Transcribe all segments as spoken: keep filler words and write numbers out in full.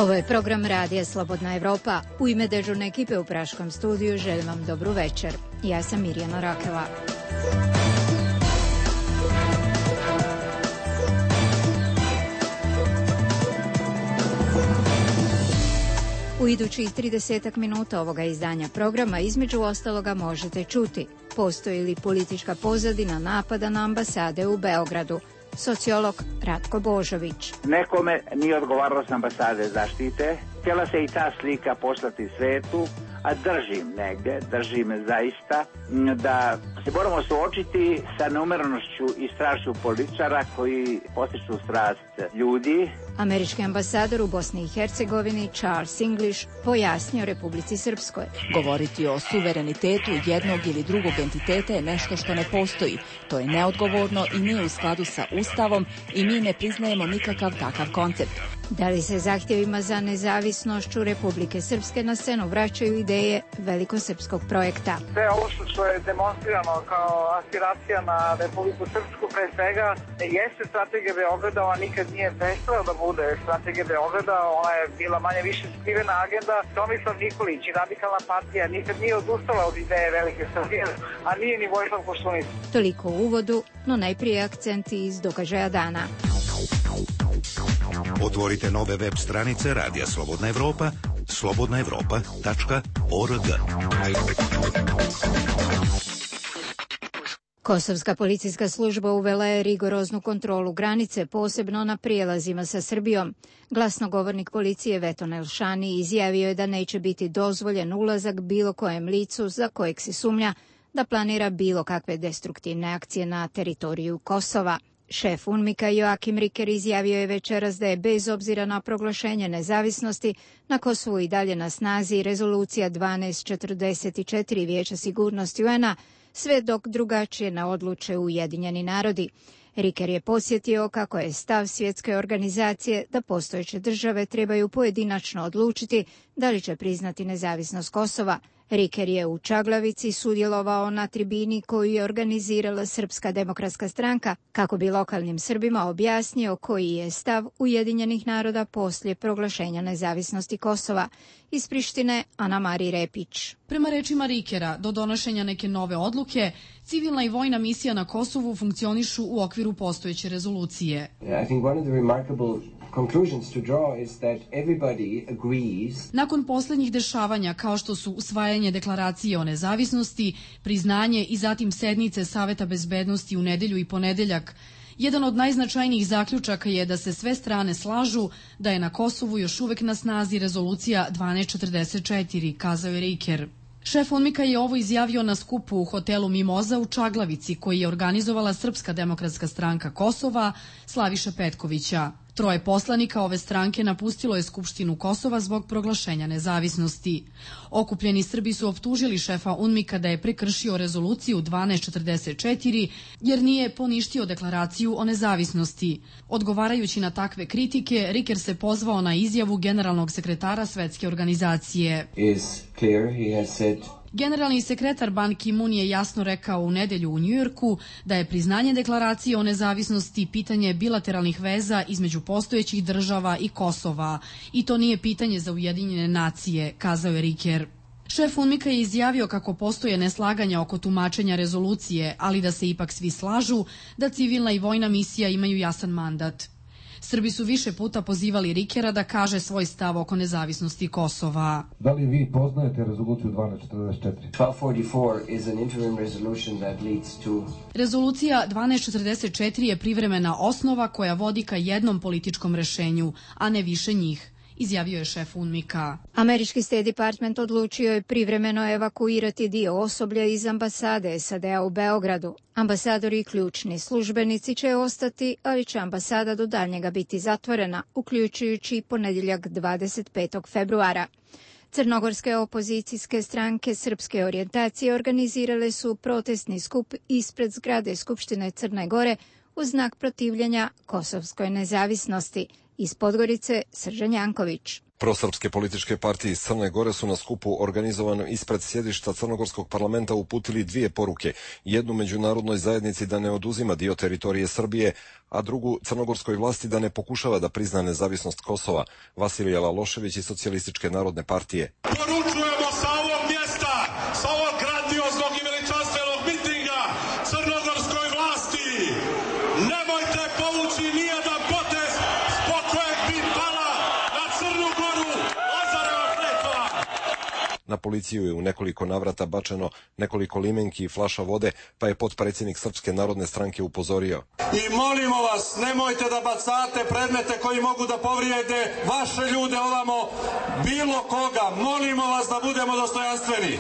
Ovo je program Radija Slobodna Evropa. U ime dežurne ekipe u Praškom studiju želim vam dobru večer. Ja sam Mirjana Rakela. U idućih tridesetak minuta ovoga izdanja programa između ostaloga možete čuti: postoji li politička pozadina napada na ambasade u Beogradu? Sociolog Ratko Božović. Nekome nije odgovaralo s ambasade zaštite. Htjela se i ta slika poslati svetu, a držim negdje, držim zaista, da se moramo suočiti sa neumerenošću i strašću političara koji postiču strast ljudi. Američki ambasador u Bosni i Hercegovini Charles English pojasnio Republici Srpskoj. Govoriti o suverenitetu jednog ili drugog entiteta je nešto što ne postoji. To je neodgovorno i nije u skladu sa Ustavom i mi ne priznajemo nikakav takav koncept. Da li se zahtjevima za nezavisnošću Republike Srpske na scenu vraćaju ideje velikosrpskog projekta? Sve ovo što je demonstrirano kao aspiracija na Republiku Srpsku, pre svega, jeste strategija Beograda, ona nikad nije prestala da bude strategija Beograda, ona je bila manje više skrivena agenda. Tomislav Nikolić i Radikalna partija nikad nije odustala od ideje Velike Srbije, a nije ni Vojislav Koštunica. Toliko u uvodu, no najprije akcenti iz događaja dana. Otvorite nove web stranice Radija Slobodna Evropa, slobodna evropa tačka org. Kosovska policijska služba uvela je rigoroznu kontrolu granice, posebno na prijelazima sa Srbijom. Glasnogovornik policije Veton Elšani izjavio je da neće biti dozvoljen ulazak bilo kojem licu za kojeg se sumnja da planira bilo kakve destruktivne akcije na teritoriju Kosova. Šef UNMIK-a Joakim Riker izjavio je večeras da je bez obzira na proglašenje nezavisnosti na Kosovu i dalje na snazi rezolucija dvanaest četrdeset četiri Vijeća sigurnosti U N-a, sve dok drugačije ne odluče Ujedinjeni narodi. Riker je podsjetio kako je stav svjetske organizacije da postojeće države trebaju pojedinačno odlučiti da li će priznati nezavisnost Kosova. Riker je u Čaglavici sudjelovao na tribini koju je organizirala Srpska demokratska stranka kako bi lokalnim Srbima objasnio koji je stav Ujedinjenih naroda poslije proglašenja nezavisnosti Kosova. Iz Prištine Ana Mari Repić. Prema rečima Rikera, do donošenja neke nove odluke, civilna i vojna misija na Kosovu funkcionišu u okviru postojeće rezolucije. I think one of the remarkable conclusions to draw is that everybody agrees. Nakon posljednjih dešavanja kao što su usvajanje deklaracije o nezavisnosti, priznanje i zatim sednice Saveta bezbednosti u nedelju i ponedeljak, jedan od najznačajnijih zaključaka je da se sve strane slažu da je na Kosovu još uvek na snazi rezolucija dvanaest četrdeset četiri, kazao je Riker. Šef UNMIK-a je ovo izjavio na skupu u hotelu Mimoza u Čaglavici koji je organizovala Srpska demokratska stranka Kosova Slaviša Petkovića. Troje poslanika ove stranke napustilo je Skupštinu Kosova zbog proglašenja nezavisnosti. Okupljeni Srbi su optužili šefa UNMIK-a da je prekršio rezoluciju dvanaest četrdeset četiri jer nije poništio deklaraciju o nezavisnosti. Odgovarajući na takve kritike, Riker se pozvao na izjavu generalnog sekretara Svetske organizacije. Is clear, he has said. Generalni sekretar Ban Ki-moon je jasno rekao u nedelju u Njujorku da je priznanje deklaracije o nezavisnosti pitanje bilateralnih veza između postojećih država i Kosova i to nije pitanje za Ujedinjene nacije, kazao je Riker. Šef UNMIK-a je izjavio kako postoje neslaganja oko tumačenja rezolucije, ali da se ipak svi slažu da civilna i vojna misija imaju jasan mandat. Srbi su više puta pozivali Rikera da kaže svoj stav oko nezavisnosti Kosova. Da li vi poznajete rezoluciju dvanaest četrdeset četiri? twelve forty-four is an interim resolution that leads to... Rezolucija dvanaest četrdeset četiri je privremena osnova koja vodi ka jednom političkom rešenju, a ne više njih, izjavio je šef UNMIK-a. Američki State Department odlučio je privremeno evakuirati dio osoblja iz ambasade S A D-a u Beogradu. Ambasadori i ključni službenici će ostati, ali će ambasada do daljnjega biti zatvorena, uključujući ponedjeljak dvadeset petog februara. Crnogorske opozicijske stranke srpske orijentacije organizirale su protestni skup ispred zgrade Skupštine Crne Gore u znak protivljenja kosovskoj nezavisnosti. Iz Podgorice Sržan Janković. Prosrpske političke partije iz Crne Gore su na skupu organizovanom ispred sjedišta Crnogorskog parlamenta uputili dvije poruke. Jednu međunarodnoj zajednici da ne oduzima dio teritorije Srbije, a drugu crnogorskoj vlasti da ne pokušava da prizna nezavisnost Kosova. Vasilije Lalošević iz Socijalističke narodne partije. Poručujemo sa ovog mjesta, sa ovog grandioznog i veličanstvenog mitinga crnogorskoj vlasti. Nemojte povući nijedan potez zbog kojeg bi pala na Crnu Goru Lazareva kletva. Na policiju je u nekoliko navrata bačeno nekoliko limenki i flaša vode, pa je potpredsjednik Srpske narodne stranke upozorio. I molimo vas, nemojte da bacate predmete koji mogu da povrijede vaše ljude ovamo, bilo koga. Molimo vas da budemo dostojanstveni.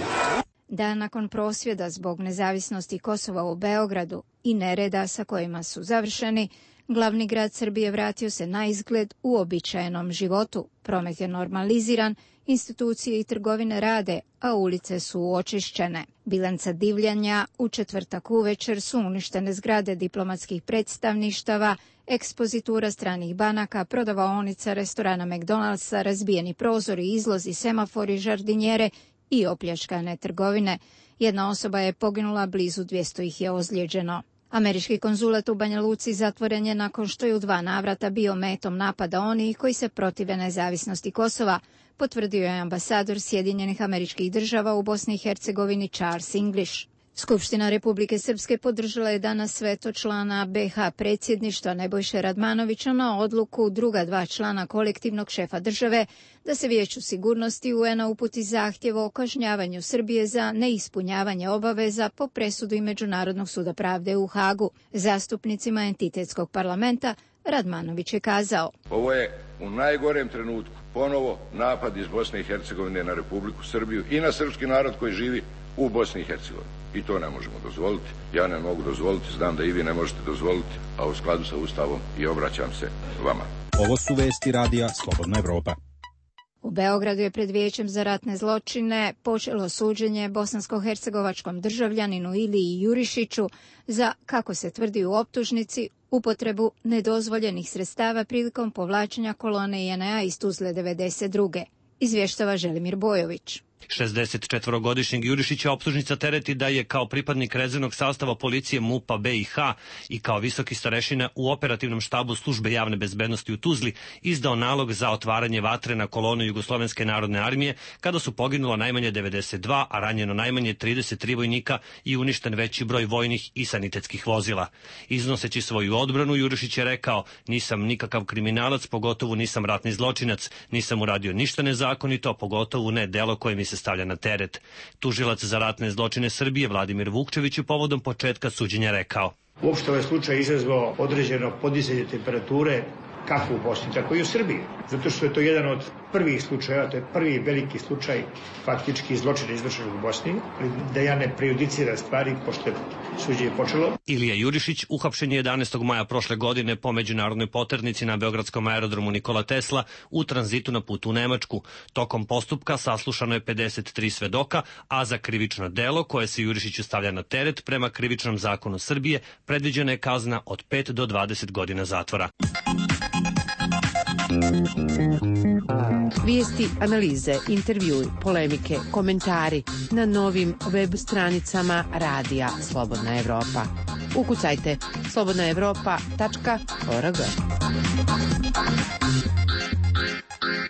Dan nakon prosvjeda zbog nezavisnosti Kosova u Beogradu i nereda sa kojima su završeni, glavni grad Srbije vratio se na izgled uobičajenom životu. Promet je normaliziran, institucije i trgovine rade, a ulice su očišćene. Bilanca divljanja u četvrtak uvečer su uništene zgrade diplomatskih predstavništava, ekspozitura stranih banaka, prodavaonica, restorana McDonald'sa, razbijeni prozori, izlozi, semafori, žardinjere i opljačkane trgovine. Jedna osoba je poginula, blizu dvjesto ih je ozlijeđeno. Američki konzulat u Banja Luci zatvoren je nakon što je u dva navrata bio metom napada onih koji se protive nezavisnosti Kosova, potvrdio je ambasador Sjedinjenih Američkih Država u Bosni i Hercegovini Charles English. Skupština Republike Srpske podržala je danas veto člana be ha predsjedništva Nebojše Radmanovića na odluku druga dva člana kolektivnog šefa države da se Vijeću sigurnosti u en a uputi zahtjev o kažnjavanju Srbije za neispunjavanje obaveza po presudi Međunarodnog suda pravde u Hagu. Zastupnicima entitetskog parlamenta Radmanović je kazao: Ovo je u najgorem trenutku ponovo napad iz Bosne i Hercegovine na Republiku Srbiju i na srpski narod koji živi u Bosni i Hercegovini. I to ne možemo dozvoliti. Ja ne mogu dozvoliti, znam da i vi ne možete dozvoliti, a u skladu sa Ustavom i obraćam se vama. Ovo su vesti radija Slobodna Evropa. U Beogradu je pred Vijećem za ratne zločine počelo suđenje bosansko-hercegovačkom državljaninu Iliji Jurišiću za, kako se tvrdi u optužnici, upotrebu nedozvoljenih sredstava prilikom povlačenja kolone i en a iz Tuzle devedeset druge. Izvještava Želimir Bojović. šezdesetčetvorogodišnjeg Jurišića optužnica tereti da je kao pripadnik rezervnog sastava policije MUP-a be i ha i kao visoki starešina u operativnom štabu službe javne bezbednosti u Tuzli izdao nalog za otvaranje vatre na kolonu Jugoslovenske narodne armije kada su poginula najmanje devedeset dva, a ranjeno najmanje trideset tri vojnika i uništen veći broj vojnih i sanitetskih vozila. Iznoseći svoju odbranu, Jurišić je rekao: nisam nikakav kriminalac, pogotovo nisam ratni zločinac, nisam uradio ništa nezakonito, pogotovo ne delo koje mi se stavlja na teret. Tužilac za ratne zločine Srbije Vladimir Vukčević je povodom početka suđenja rekao: Uopšte ovaj slučaj izazvao određeno podizanje temperature kako u Bosni, tako i u Srbiji. Zato što je to jedan od prvih slučajeva, to je prvi veliki slučaj faktički zločina izvršenog u Bosni, da ja ne prejudiciram stvari, pošto je suđenje počelo. Ilija Jurišić uhapšen je jedanaestog maja prošle godine po međunarodnoj poternici na beogradskom aerodromu Nikola Tesla u tranzitu na putu u Nemačku. Tokom postupka saslušano je pedeset tri svedoka, a za krivično delo koje se Jurišiću stavlja na teret prema krivičnom zakonu Srbije predviđena je kazna od pet do dvadeset godina zatvora. Vijesti, analize, intervjui, polemike, komentari na novim web stranicama radija Slobodna Evropa. Ukucajte slobodna evropa tačka org.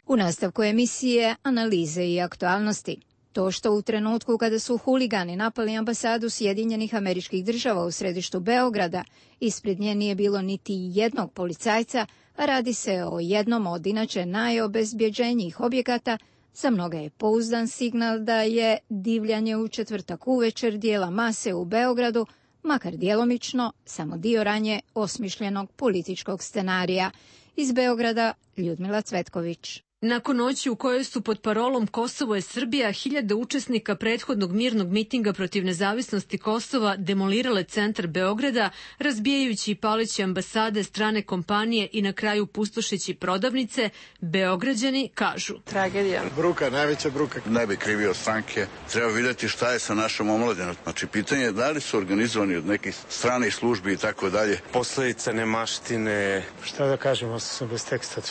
U nastavku emisije Analize i aktualnosti. To što u trenutku kada su huligani napali ambasadu Sjedinjenih Američkih Država u središtu Beograda, ispred nje nije bilo niti jednog policajca, a radi se o jednom od inače najobezbjeđenijih objekata, za mnoga je pouzdan signal da je divljanje u četvrtak uvečer dijela mase u Beogradu, makar djelomično, samo dio ranje osmišljenog političkog scenarija. Iz Beograda Ljudmila Cvetković. Nakon noći u kojoj su pod parolom Kosovo je Srbija hiljade učesnika prethodnog mirnog mitinga protiv nezavisnosti Kosova demolirale centar Beograda, razbijajući i paleći ambasade, strane kompanije i na kraju pustošeći prodavnice, Beograđani kažu: tragedija. Bruka, najveća bruka. Ne bi krivio stranke. Treba vidjeti šta je sa našom omladinom. Znači, pitanje je da li su organizovani od nekih stranih službi i tako dalje. Posledice nemaštine. Šta da kažemo, sam bez teksta.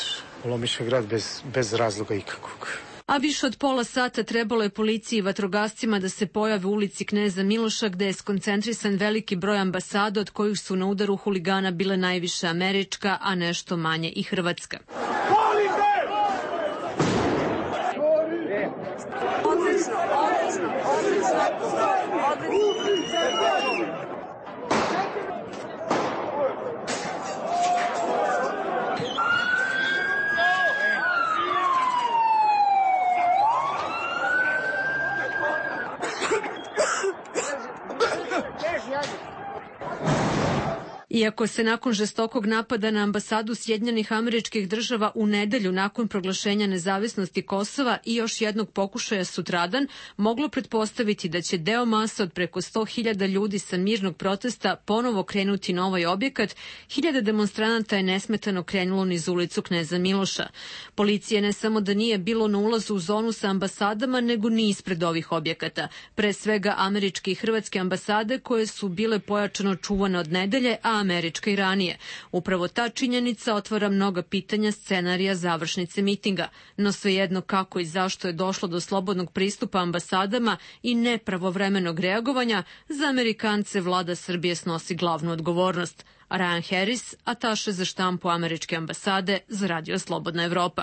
Lomiša grad bez, bez razloga ikakvog. A više od pola sata trebalo je policiji i vatrogascima da se pojave u ulici Kneza Miloša, gde je skoncentrisan veliki broj ambasada, od kojih su na udaru huligana bile najviše američka, a nešto manje i hrvatska. Odlično, odlično, odlično, odlično. Iako se nakon žestokog napada na ambasadu Sjedinjenih Američkih Država u nedelju nakon proglašenja nezavisnosti Kosova i još jednog pokušaja sutradan, moglo pretpostaviti da će deo masa od preko sto hiljada ljudi sa mirnog protesta ponovo krenuti na ovaj objekat, hiljade demonstranata je nesmetano krenulo niz ulicu Kneza Miloša. Policije ne samo da nije bilo na ulazu u zonu sa ambasadama, nego ni ispred ovih objekata. Pre svega američke i hrvatske ambasade koje su bile pojačano čuvane od nedelje, a američka i ranije. Upravo ta činjenica otvara mnoga pitanja scenarija završnice mitinga. No svejedno kako i zašto je došlo do slobodnog pristupa ambasadama i nepravovremenog reagovanja, za Amerikance vlada Srbije snosi glavnu odgovornost. Ryan Harris, ataše za štampu američke ambasade za Radio Slobodna Evropa.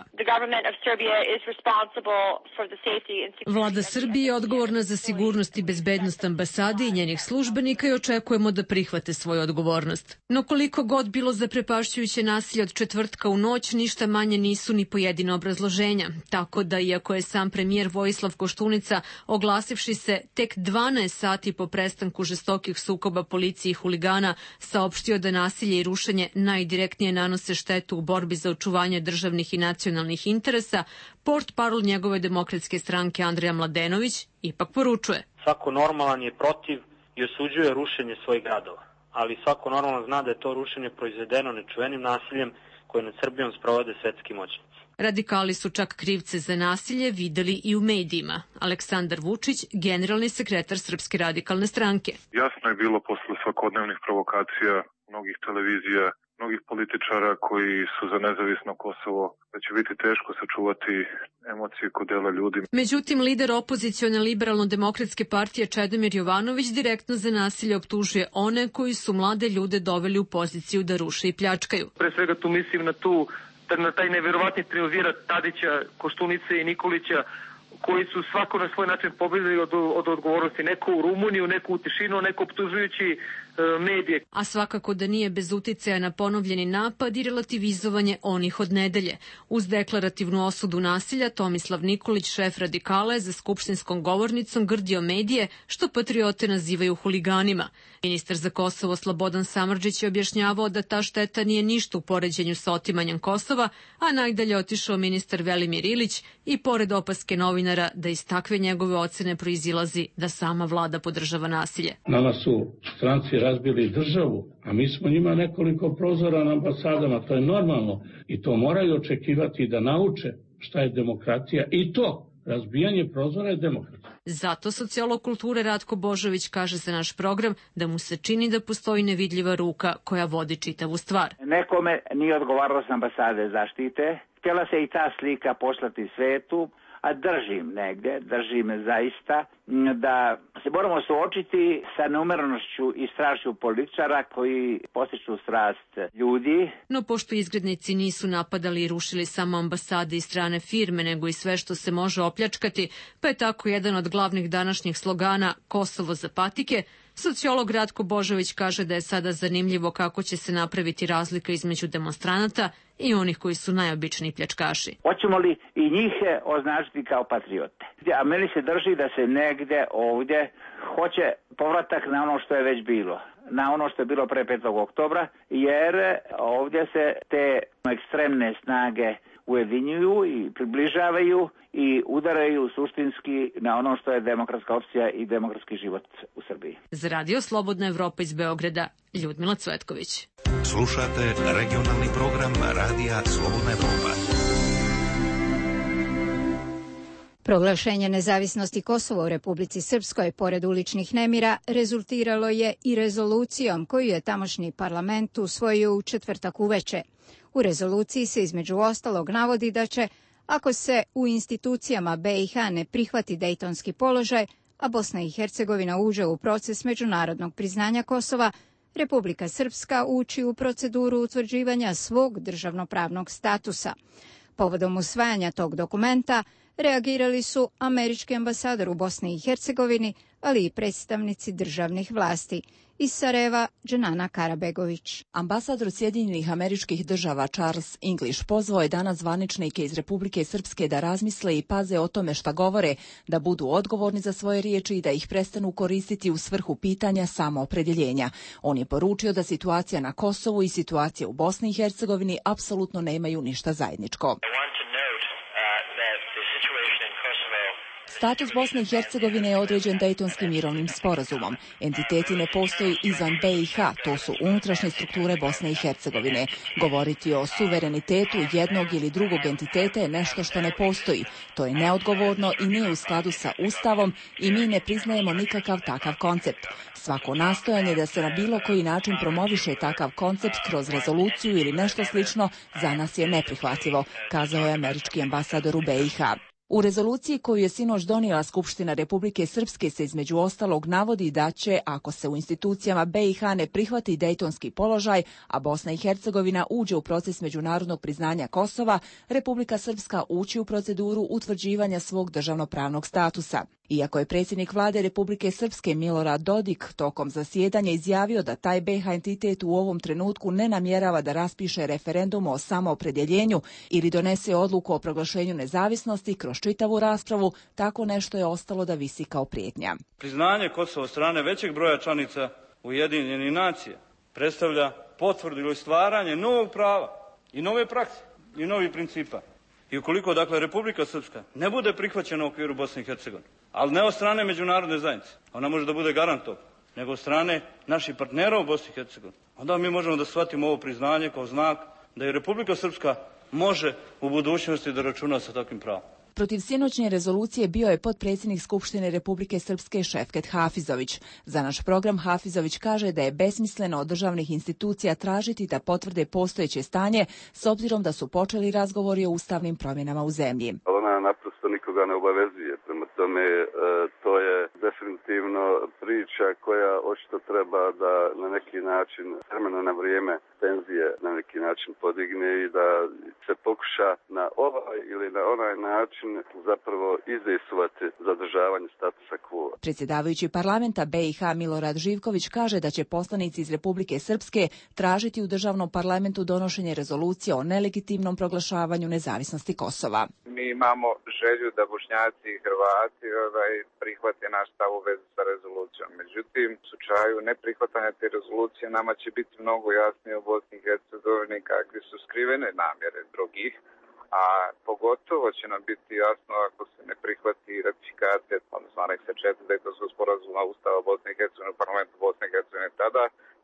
Vlada Srbije je odgovorna za sigurnost i bezbednost ambasade i njenih službenika i očekujemo da prihvate svoju odgovornost. No koliko god bilo zaprepašćujuće nasilje od četvrtka u noć, ništa manje nisu ni pojedina obrazloženja. Tako da, iako je sam premijer Vojislav Koštunica, oglasivši se tek dvanaest sati po prestanku žestokih sukoba policije i huligana, saopštio da nasilje i rušenje najdirektnije nanose štetu u borbi za očuvanje državnih i nacionalnih interesa, portparol njegove demokratske stranke Andrija Mladenović ipak poručuje. Svako normalan je protiv i osuđuje rušenje svojih gradova, ali svako normalan zna da je to rušenje proizvedeno nečuvenim nasiljem koje nad Srbijom sprovode svetski moćnici. Radikali su čak krivce za nasilje videli i u medijima. Aleksandar Vučić, generalni sekretar Srpske radikalne stranke. Jasno je bilo posle svakodnevnih provokacija mnogih televizija, mnogih političara koji su za nezavisno Kosovo, da će biti teško sačuvati emocije kod dela ljudi. Međutim, lider opozicione liberalno-demokratske partije Čedomir Jovanović direktno za nasilje optužuje one koji su mlade ljude doveli u poziciju da ruše i pljačkaju. Pre svega tu mislim na tu na taj neverovatni triumvirat Tadića, Koštunice i Nikolića, koji su svako na svoj način pobedili od, od odgovornosti. Neko u Rumuniju, neko u tišinu, neko optužujući e, medije. A svakako da nije bez uticaja na ponovljeni napad i relativizovanje onih od nedelje. Uz deklarativnu osudu nasilja, Tomislav Nikolić, šef radikala, je za skupštinskom govornicom grdio medije, što patriote nazivaju huliganima. Ministar za Kosovo Slobodan Samardžić je objašnjavao da ta šteta nije ništa u poređenju sa otimanjem Kosova, a najdalje otišao ministar Velimir Ilić i pored opaske novinara da iz takve njegove ocene proizilazi da sama vlada podržava nasilje. Nama su stranci razbili državu, a mi smo njima nekoliko prozora na ambasadama, to je normalno i to moraju očekivati da nauče šta je demokratija i to. Razbijanje prozora je demokratija. Zato sociolog kulture Ratko Božović kaže za naš program da mu se čini da postoji nevidljiva ruka koja vodi čitavu stvar. Nekome nije odgovaralo s ambasade zaštite. Htjela se i ta slika poslati svetu, a držim negde, držim zaista da se moramo suočiti sa neumjerenošću i strašću političara koji postiču strast ljudi. No pošto izgrednici nisu napadali i rušili samo ambasade i strane firme, nego i sve što se može opljačkati, pa je tako jedan od glavnih današnjih slogana Kosovo za patike, sociolog Ratko Božović kaže da je sada zanimljivo kako će se napraviti razlika između demonstranata i onih koji su najobičniji pljačkaši. Hoćemo li i njih označiti kao patriote? A meni se drži da se negde ovdje hoće povratak na ono što je već bilo, na ono što je bilo pre petog oktobra, jer ovdje se te ekstremne snage ujedinjuju i približavaju i udaraju suštinski na ono što je demokratska opcija i demokratski život u Srbiji. Za Radio Slobodna Evropa iz Beograda, Ljudmila Cvetković. Slušate regionalni program Radija Slobodna Evropa. Proglašenje nezavisnosti Kosova u Republici Srpskoj pored uličnih nemira rezultiralo je i rezolucijom koju je tamošnji parlament usvojio u četvrtak uveče. U rezoluciji se između ostalog navodi da će, ako se u institucijama be i ha ne prihvati dejtonski položaj, a Bosna i Hercegovina uđe u proces međunarodnog priznanja Kosova, Republika Srpska ući u proceduru utvrđivanja svog državnopravnog statusa. Povodom usvajanja tog dokumenta reagirali su američki ambasador u Bosni i Hercegovini, ali i predstavnici državnih vlasti. Iz Sarajeva, Dženana Karabegović. Ambasador Sjedinjenih Američkih Država Charles English pozvao je danas zvaničnike iz Republike Srpske da razmisle i paze o tome šta govore, da budu odgovorni za svoje riječi i da ih prestanu koristiti u svrhu pitanja samoopredjeljenja. On je poručio da situacija na Kosovu i situacija u Bosni i Hercegovini apsolutno nemaju ništa zajedničko. Status Bosne i Hercegovine je određen Dejtonskim mirovnim sporazumom. Entiteti ne postoji izvan be i ha, to su unutrašnje strukture Bosne i Hercegovine. Govoriti o suverenitetu jednog ili drugog entiteta je nešto što ne postoji. To je neodgovorno i nije u skladu sa Ustavom i mi ne priznajemo nikakav takav koncept. Svako nastojanje da se na bilo koji način promoviše takav koncept kroz rezoluciju ili nešto slično za nas je neprihvatljivo, kazao je američki ambasador u be i ha. U rezoluciji koju je sinoć donijela Skupština Republike Srpske se između ostalog navodi da će, ako se u institucijama be i ha ne prihvati dejtonski položaj, a Bosna i Hercegovina uđe u proces međunarodnog priznanja Kosova, Republika Srpska ući u proceduru utvrđivanja svog državnopravnog statusa. Iako je predsjednik vlade Republike Srpske Milorad Dodik tokom zasjedanja izjavio da taj be ha entitet u ovom trenutku ne namjerava da raspiše referendum o samoopredjeljenju ili donese odluku o proglašenju nezavisnosti kroz čitavu raspravu, tako nešto je ostalo da visi kao prijetnja. Priznanje Kosova od strane većeg broja članica Ujedinjenih nacija predstavlja potvrdu ili stvaranje novog prava i nove prakse i novih principa. I ukoliko, dakle, Republika Srpska ne bude prihvaćena u okviru Bosne i Hercegovine, ali ne od strane međunarodne zajednice, ona može da bude garant toga, nego od strane naših partnera u Bosni i Hercegovini, onda mi možemo da shvatimo ovo priznanje kao znak da i Republika Srpska može u budućnosti da računa sa takvim pravom. Protiv sinoćnje rezolucije bio je potpredsjednik Skupštine Republike Srpske Šefket Hafizović. Za naš program Hafizović kaže da je besmisleno od državnih institucija tražiti da potvrde postojeće stanje s obzirom da su počeli razgovori o ustavnim promjenama u zemlji. Ona naprosto nikoga ne obavezuje, prema tome e, to je definitivno priča koja očito treba da na neki način vremena na vrijeme tenzije na neki način podigne i da se pokuša na ovaj ili na onaj način zapravo izdejstvovati zadržavanje statusa quo. Predsjedavajući parlamenta be i ha Milorad Živković kaže da će poslanici iz Republike Srpske tražiti u državnom parlamentu donošenje rezolucije o nelegitimnom proglašavanju nezavisnosti Kosova. Mi imamo želju da Bošnjaci i Hrvati ovaj, prihvate naš stav u vezi sa rezolucijom. Međutim, u slučaju neprihvatanja te rezolucije nama će biti mnogo jasnije u Bosni i Hercegovini kakve su skrivene namjere drugih, a pogotovo će nam biti jasno ako se ne prihvati ratifikacija, odnosno aneksa četiri Dejtonskog sporazuma Ustava Bosne i Hercegovine u parlamentu Bosne i Hercegovine. Tada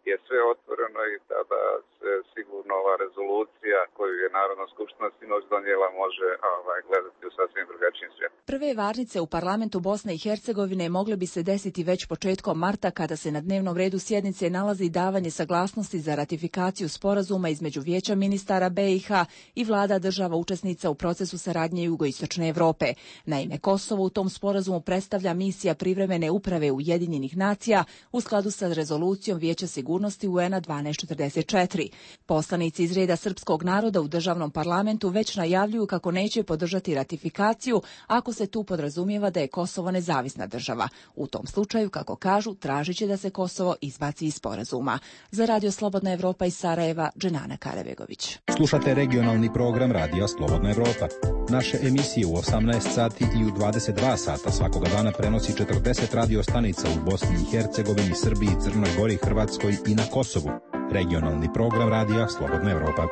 je sve otvoreno i tada se sigurno ova rezolucija koju je Narodna skupština sinoć donijela može ovaj, gledati u sasvim drugačijim svijetom. Prve varnice u parlamentu Bosne i Hercegovine mogle bi se desiti već početkom marta kada se na dnevnom redu sjednice nalazi davanje saglasnosti za ratifikaciju sporazuma između Vijeća ministara be i ha i vlada država učesnica u procesu saradnje jugoistočne Evrope. Naime, Kosovo u tom sporazumu predstavlja misija privremene uprave Ujedinjenih nacija u skladu sa rezolucijom Vijeća sigurnosti u en a dvanaest četrdeset četiri. Poslanici iz reda srpskog naroda u državnom parlamentu već najavljuju kako neće podržati ratifikaciju ako se tu podrazumijeva da je Kosovo nezavisna država. U tom slučaju, kako kažu, tražit će da se Kosovo izbaci iz sporazuma. Za Radio Slobodna Evropa iz Sarajeva, Dženana Karabegović. Slušate regionalni program Radija Slobodna Evropa. Naše emisije u osamnaest sati i u dvadeset dva sata svakoga dana prenosi četrdeset radio stanica u Bosni i Hercegovini, Srbiji, Crnoj Gori, Hrvatskoj i na Kosovu. Regionalni program Radija Slobodna Evropa.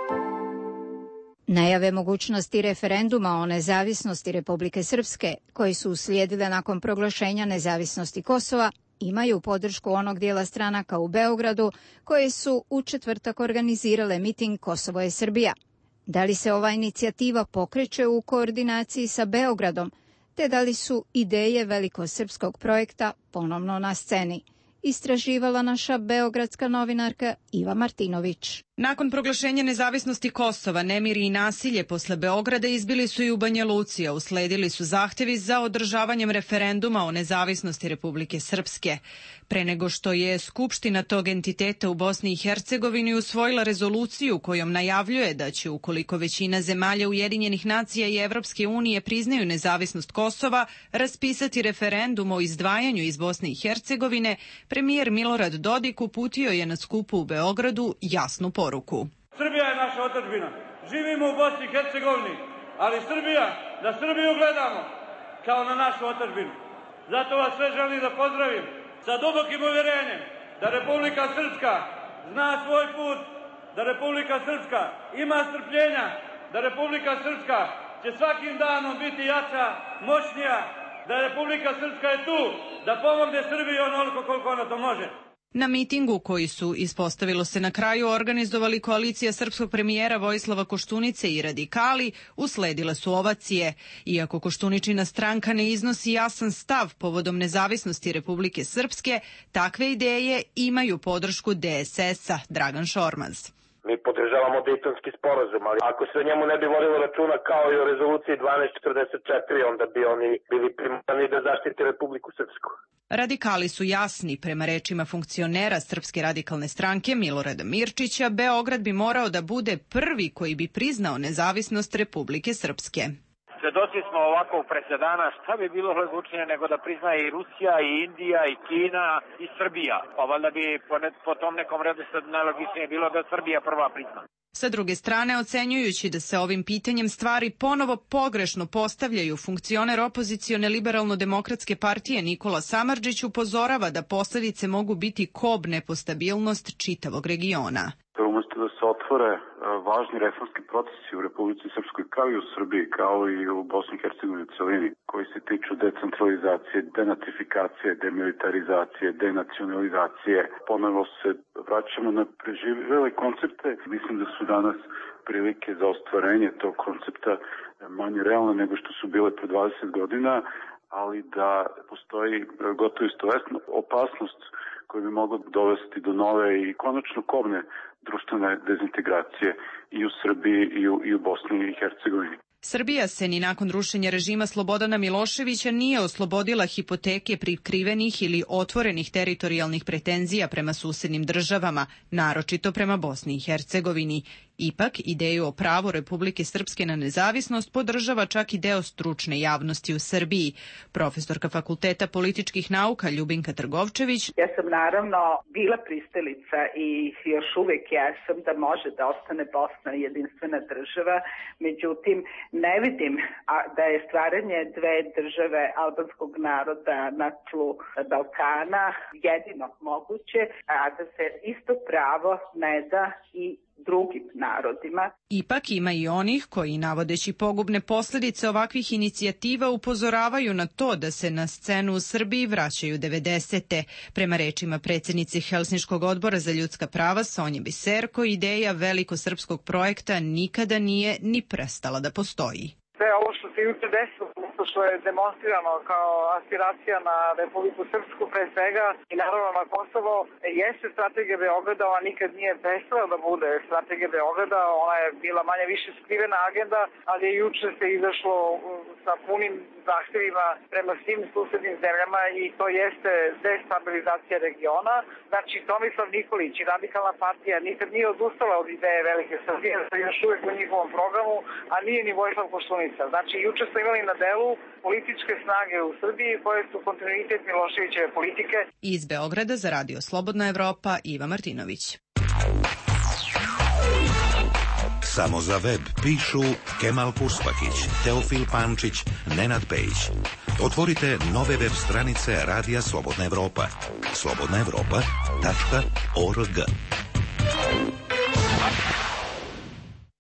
Najave mogućnosti referenduma o nezavisnosti Republike Srpske, koji su uslijedile nakon proglašenja nezavisnosti Kosova, imaju podršku onog dijela stranaka u Beogradu koje su u četvrtak organizirale miting Kosovo je Srbija. Da li se ova inicijativa pokreće u koordinaciji sa Beogradom, te da li su ideje velikosrpskog projekta ponovno na sceni? Istraživala naša beogradska novinarka Iva Martinović. Nakon proglašenja nezavisnosti Kosova, nemiri i nasilje posle Beograda izbili su i u Banja Luci, a usledili su zahtevi za održavanjem referenduma o nezavisnosti Republike Srpske. Pre nego što je Skupština tog entiteta u Bosni i Hercegovini usvojila rezoluciju kojom najavljuje da će, ukoliko većina zemalja Ujedinjenih nacija i Evropske unije priznaju nezavisnost Kosova, raspisati referendum o izdvajanju iz Bosne i Hercegovine, premijer Milorad Dodik uputio je na skupu u Beogradu jasnu poruku. Srbija je naša otadžbina. Živimo u Bosni i Hercegovini, ali Srbija, da Srbiju gledamo kao na našu otadžbinu. Zato vas sve želim da pozdravim sa dubokim uvjerenjem da Republika Srpska zna svoj put, da Republika Srpska ima strpljenja, da Republika Srpska će svakim danom biti jača, moćnija, da Republika Srpska je tu da pomogne Srbiji onoliko koliko ona to može. Na mitingu koji su, ispostavilo se na kraju, organizovali koalicija srpskog premijera Vojislava Koštunice i radikali, usledile su ovacije. Iako Koštuničina stranka ne iznosi jasan stav povodom nezavisnosti Republike Srpske, takve ideje imaju podršku D S S-a, Dragan Šormaz. Mi podržavamo Dejtonski sporazum, ali ako se o njemu ne bi vodilo računa kao i o rezoluciji dvanaest četrdeset četiri, onda bi oni bili primani da zaštite Republiku Srpsku. Radikali su jasni. Prema rečima funkcionera Srpske radikalne stranke Milorada Mirčića, Beograd bi morao da bude prvi koji bi priznao nezavisnost Republike Srpske. Svedoci smo ovakvog presedana, šta bi bilo odlučnije nego da priznaje i Rusija, i Indija, i Kina, i Srbija. Pa valjda bi po, ne, po tom nekom redu sad najlogičnije bilo da Srbija prva prizna. Sa druge strane, ocenjujući da se ovim pitanjem stvari ponovo pogrešno postavljaju, funkcioner opozicione liberalno-demokratske partije Nikola Samardžić upozorava da posljedice mogu biti kobne po stabilnost čitavog regiona. Umesto da se otvore važni reformski procesi u Republici Srpskoj kao i u Srbiji, kao i u Bosni i Hercegovini u celini, koji se tiču decentralizacije, denatifikacije, demilitarizacije, denacionalizacije. Ponovo se vraćamo na preživjele koncepte. Mislim da su danas prilike za ostvarenje tog koncepta manje realne nego što su bile pre dvadeset godina, ali da postoji gotovo istovesna opasnost koja bi mogla dovesti do nove i konačno kobne društvene dezintegracije i u Srbiji i u, i u Bosni i Hercegovini. Srbija se ni nakon rušenja režima Slobodana Miloševića nije oslobodila hipoteke prikrivenih ili otvorenih teritorijalnih pretenzija prema susednim državama, naročito prema Bosni i Hercegovini. Ipak, ideju o pravu Republike Srpske na nezavisnost podržava čak i deo stručne javnosti u Srbiji. Profesorka Fakulteta političkih nauka Ljubinka Trgovčević. Ja sam naravno bila pristalica i još uvek jesam da može da ostane Bosna jedinstvena država, međutim ne vidim da je stvaranje dve države albanskog naroda na tlu Balkana jedino moguće, a da se isto pravo ne da i drugim narodima. Ipak ima i onih koji, navodeći pogubne posljedice ovakvih inicijativa, upozoravaju na to da se na scenu u Srbiji vraćaju devedesete. Prema rečima predsjednice Helsinškog odbora za ljudska prava Sonje Biserko, ideja velikosrpskog projekta nikada nije ni prestala da postoji. Sve ovo što se juče desilo, što je demonstrirano kao aspiracija na Republiku Srpsku pre svega i naravno na Kosovo, jeste strategija Beograda, ona nikad nije prestala da bude strategija Beograda, ona je bila manje više skrivena agenda, ali je juče se izašlo sa punim zahtjevima prema svim susednim zemljama i to jeste destabilizacija regiona. Znači, Tomislav Nikolić i Radikalna partija nikad nije odustala od ideje Velike Srbije, da je još uvijek u njihovom programu, a nije ni Vojislav Koštunica. Znači, juče smo imali na delu političke snage u Srbiji koje su kontinuitet Miloševićeve politike. Iz Beograda za Radio Slobodna Evropa, Iva Martinović. Samo za web pišu Kemal Puspakić, Teofil Pančić, Nenad Pejić. Otvorite nove web stranice Radija Slobodna Evropa. slobodna evropa tačka org.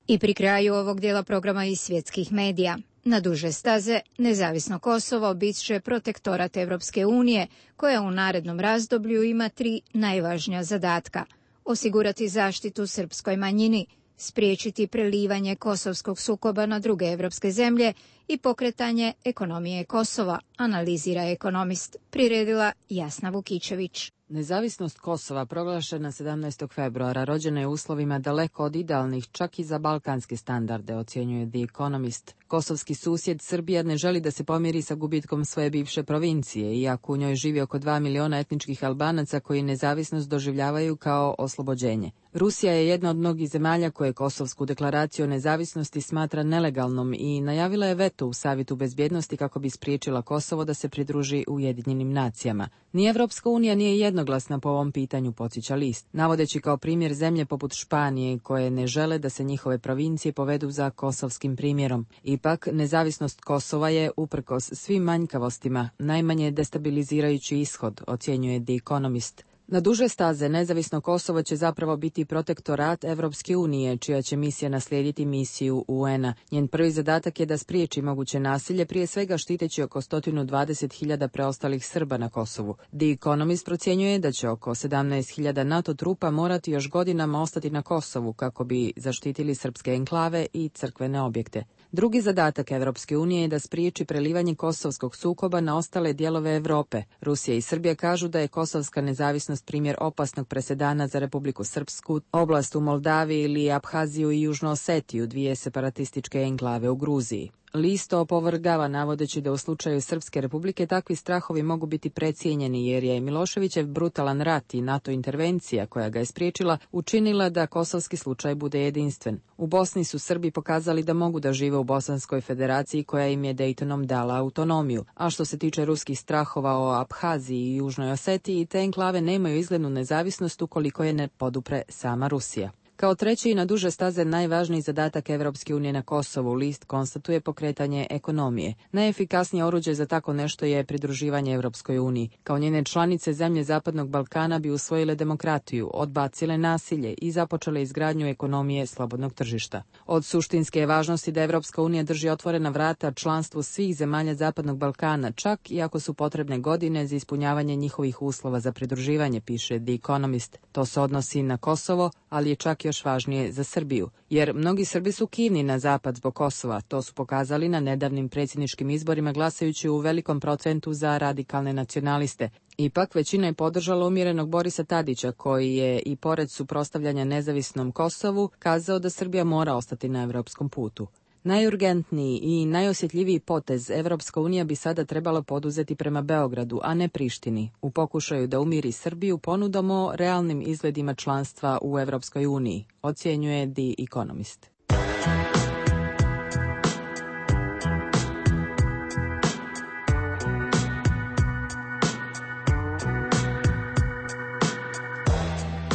I pri kraju ovog dijela programa iz svjetskih medija. Na duže staze, nezavisno Kosovo bit će protektorat Evropske unije, koja u narednom razdoblju ima tri najvažnija zadatka. Osigurati zaštitu srpskoj manjini, spriječiti prelivanje kosovskog sukoba na druge evropske zemlje i pokretanje ekonomije Kosova, analizira ekonomist, priredila Jasna Vukičević. Nezavisnost Kosova proglašena sedamnaestog februara rođena je u uslovima daleko od idealnih čak i za balkanske standarde, ocjenjuje The Economist. Kosovski susjed Srbija ne želi da se pomiri sa gubitkom svoje bivše provincije, iako u njoj živi oko dva miliona etničkih Albanaca koji nezavisnost doživljavaju kao oslobođenje. Rusija je jedna od mnogih zemalja koje Kosovsku deklaraciju o nezavisnosti smatra nelegalnom i najavila je veto u Savjetu bezbjednosti kako bi spriječila Kosovo da se pridruži Ujedinjenim nacijama. Ni Evropska unija nije jednoglasna po ovom pitanju, podsjeća list, navodeći kao primjer zemlje poput Španije koje ne žele da se njihove provincije povedu za kosovskim primjerom. Ipak, nezavisnost Kosova je, uprkos svim manjkavostima, najmanje destabilizirajući ishod, ocjenjuje The Economist. Na duže staze nezavisno Kosovo će zapravo biti protektorat Evropske unije, čija će misija naslijediti misiju U N-a. Njen prvi zadatak je da spriječi moguće nasilje, prije svega štiteći oko sto dvadeset hiljada preostalih Srba na Kosovu. The Economist procjenjuje da će oko sedamnaest hiljada NATO trupa morati još godinama ostati na Kosovu kako bi zaštitili srpske enklave i crkvene objekte. Drugi zadatak Evropske unije je da spriječi prelivanje kosovskog sukoba na ostale dijelove Europe. Rusija i Srbija kažu da je kosovska nezavisnost primjer opasnog presedana za Republiku Srpsku, oblast u Moldaviji ili Abhaziju i Južnu Osetiju, dvije separatističke enklave u Gruziji. List opovrgava navodeći da u slučaju Srpske republike takvi strahovi mogu biti precijenjeni jer je Miloševićev brutalan rat i NATO intervencija koja ga je spriječila učinila da kosovski slučaj bude jedinstven. U Bosni su Srbi pokazali da mogu da žive u Bosanskoj federaciji koja im je Dejtonom dala autonomiju, a što se tiče ruskih strahova o Abhaziji i Južnoj Osetiji, te enklave nemaju izglednu nezavisnost ukoliko je ne podupre sama Rusija. Kao treći i na duže staze najvažniji zadatak Evropske unije na Kosovu, list konstatuje pokretanje ekonomije. Najefikasnije oruđe za tako nešto je pridruživanje Evropskoj uniji. Kao njene članice, zemlje Zapadnog Balkana bi usvojile demokratiju, odbacile nasilje i započele izgradnju ekonomije slobodnog tržišta. Od suštinske je važnosti da Evropska unija drži otvorena vrata članstvu svih zemalja Zapadnog Balkana, čak i ako su potrebne godine za ispunjavanje njihovih uslova za pridruživanje, piše The Economist. To se odnosi na Kosovo, ali je čak još važnije za Srbiju, jer mnogi Srbi su kivni na zapad zbog Kosova. To su pokazali na nedavnim predsjedničkim izborima glasajući u velikom procentu za radikalne nacionaliste. Ipak, većina je podržala umjerenog Borisa Tadića, koji je i pored suprotstavljanja nezavisnom Kosovu kazao da Srbija mora ostati na evropskom putu. Najurgentniji i najosjetljiviji potez Evropska unija bi sada trebala poduzeti prema Beogradu, a ne Prištini, u pokušaju da umiri Srbiju ponudom o realnim izgledima članstva u Evropskoj uniji, ocjenjuje The Economist.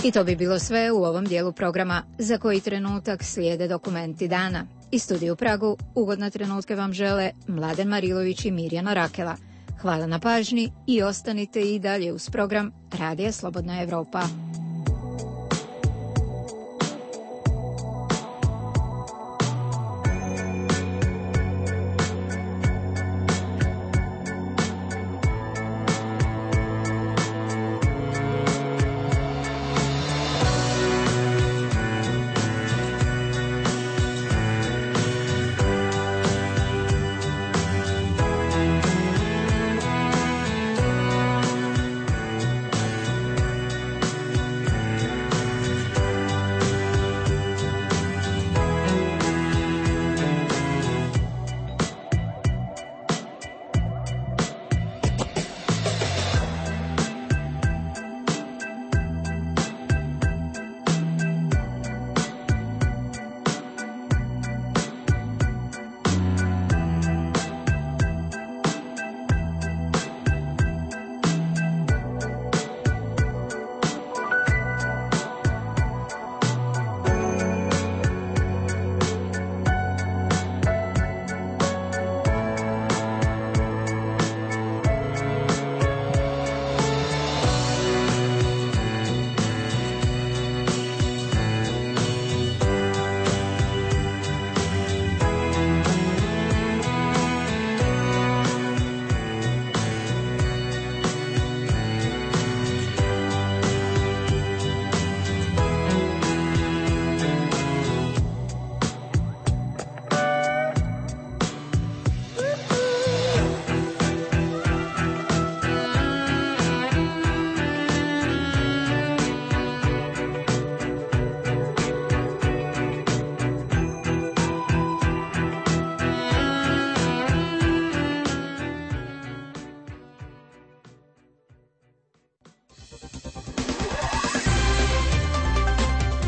I to bi bilo sve u ovom dijelu programa. Za koji trenutak slijede dokumenti dana. Iz studija u Pragu ugodne trenutke vam žele Mladen Marilović i Mirjana Rakela. Hvala na pažnji i ostanite i dalje uz program Radija Slobodna Evropa.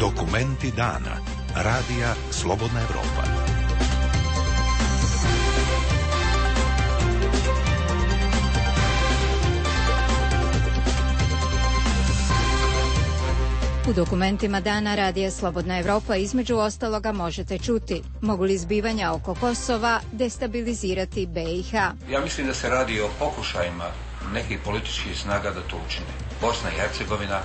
Dokumenti dana. Radija Slobodna Evropa. U dokumentima dana Radija Slobodna Evropa između ostaloga možete čuti: mogu li zbivanja oko Kosova destabilizirati B i H? Ja mislim da se radi o pokušajima nekih političkih snaga da to učine. Bosna i Hercegovina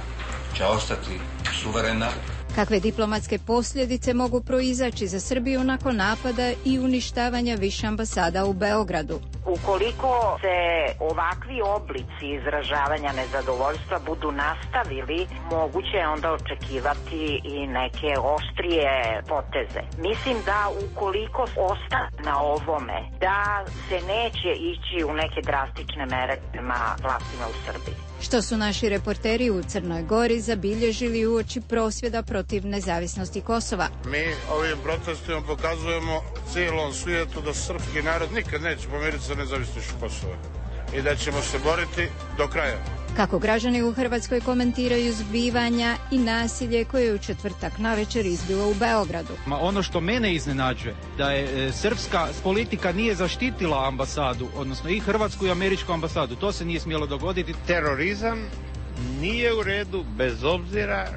će ostati suverena. Kakve diplomatske posljedice mogu proizaći za Srbiju nakon napada i uništavanja više ambasada u Beogradu? Ukoliko se ovakvi oblici izražavanja nezadovoljstva budu nastavili, moguće je onda očekivati i neke oštrije poteze. Mislim da ukoliko ostane na ovome, da se neće ići u neke drastične mere prema vlastima u Srbiji. Što su naši reporteri u Crnoj Gori zabilježili uoči prosvjeda protiv nezavisnosti Kosova? Mi ovim protestima pokazujemo cijelom svijetu da srpski narod nikad neće pomiriti sa nezavisnošću Kosova i da ćemo se boriti do kraja. Kako građani u Hrvatskoj komentiraju zbivanja i nasilje koje je u četvrtak navečer izbilo u Beogradu? Ma ono što mene iznenađuje, da je e, srpska politika nije zaštitila ambasadu, odnosno i hrvatsku i američku ambasadu. To se nije smjelo dogoditi. Terorizam nije u redu bez obzira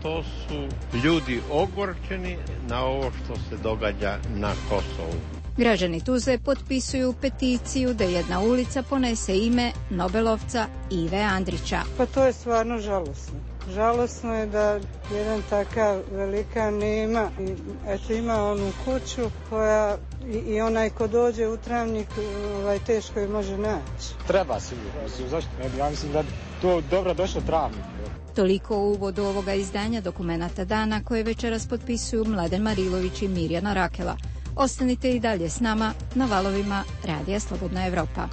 što su ljudi ogorčeni na ovo što se događa na Kosovu. Građani Tuzle potpisuju peticiju da jedna ulica ponese ime Nobelovca Ive Andrića. Pa to je stvarno žalosno. Žalosno je da jedan takav velikan nema. I, eto, ima onu kuću koja i, i onaj ko dođe u Travnik ovaj, teško je može naći. Treba sigurno. Mislim, zašto? Ja mislim da to dobro došlo Travnik. Toliko u uvodu ovoga izdanja dokumenata dana koje večeras potpisuju Mladen Marilović i Mirjana Rakela. Ostanite i dalje s nama na valovima Radija Slobodna Evropa.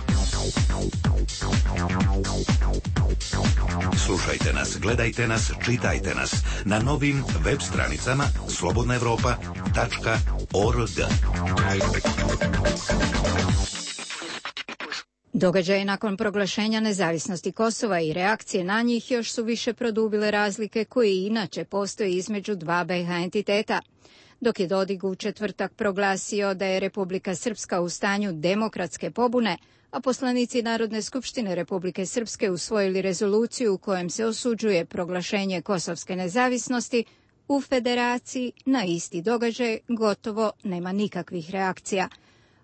Slušajte nas, gledajte nas, čitajte nas na novim web stranicama slobodna evropa tačka org. Događaje nakon proglašenja nezavisnosti Kosova i reakcije na njih još su više produbile razlike koje inače postoje između dva B i H entiteta. Dok je Dodik u četvrtak proglasio da je Republika Srpska u stanju demokratske pobune, a poslanici Narodne skupštine Republike Srpske usvojili rezoluciju u kojem se osuđuje proglašenje kosovske nezavisnosti, u Federaciji na isti događaj gotovo nema nikakvih reakcija.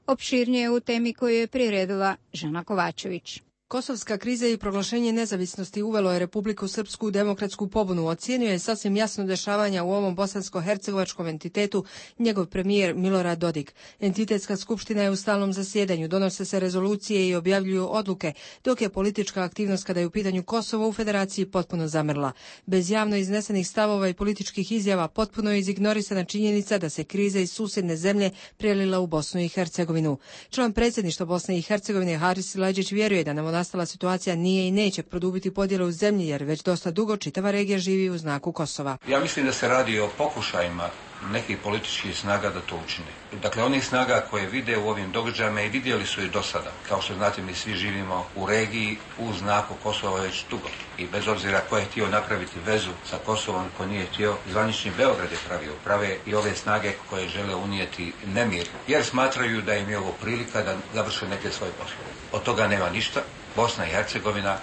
Opširnije u temi koju je priredila Žana Kovačević. Kosovska kriza i proglašenje nezavisnosti uvelo je Republiku Srpsku u demokratsku pobunu. Ocijenio je sasvim jasno dešavanja u ovom bosansko-hercegovačkom entitetu njegov premijer Milorad Dodik. Entitetska skupština je u stalnom zasjedanju, donose se rezolucije i objavljuju odluke, dok je politička aktivnost kada je u pitanju Kosovo u Federaciji potpuno zamrla. Bez javno iznesenih stavova i političkih izjava potpuno je izignorisana činjenica da se kriza iz susjedne zemlje prelila u Bosnu i Hercegovinu. Član predsjedništva Bosne i Hercegovine Haris Silajdžić vjeruje da nam nastala situacija nije i neće produbiti podjele u zemlji, jer već dosta dugo čitava regija živi u znaku Kosova. Ja mislim da se radi o pokušajima nekih političkih snaga da to učine. Dakle, onih snaga koje vide u ovim događajima i vidjeli su i do sada. Kao što znate, mi svi živimo u regiji u znaku Kosova već dugo. I bez obzira ko je htio napraviti vezu sa Kosovom, ko nije htio, zvanični Beograd je pravio. Prave i ove snage koje žele unijeti nemir, jer smatraju da im je ovo prilika da završe neke svoje poslove. Od toga nema ništa. Bosna i Hercegovina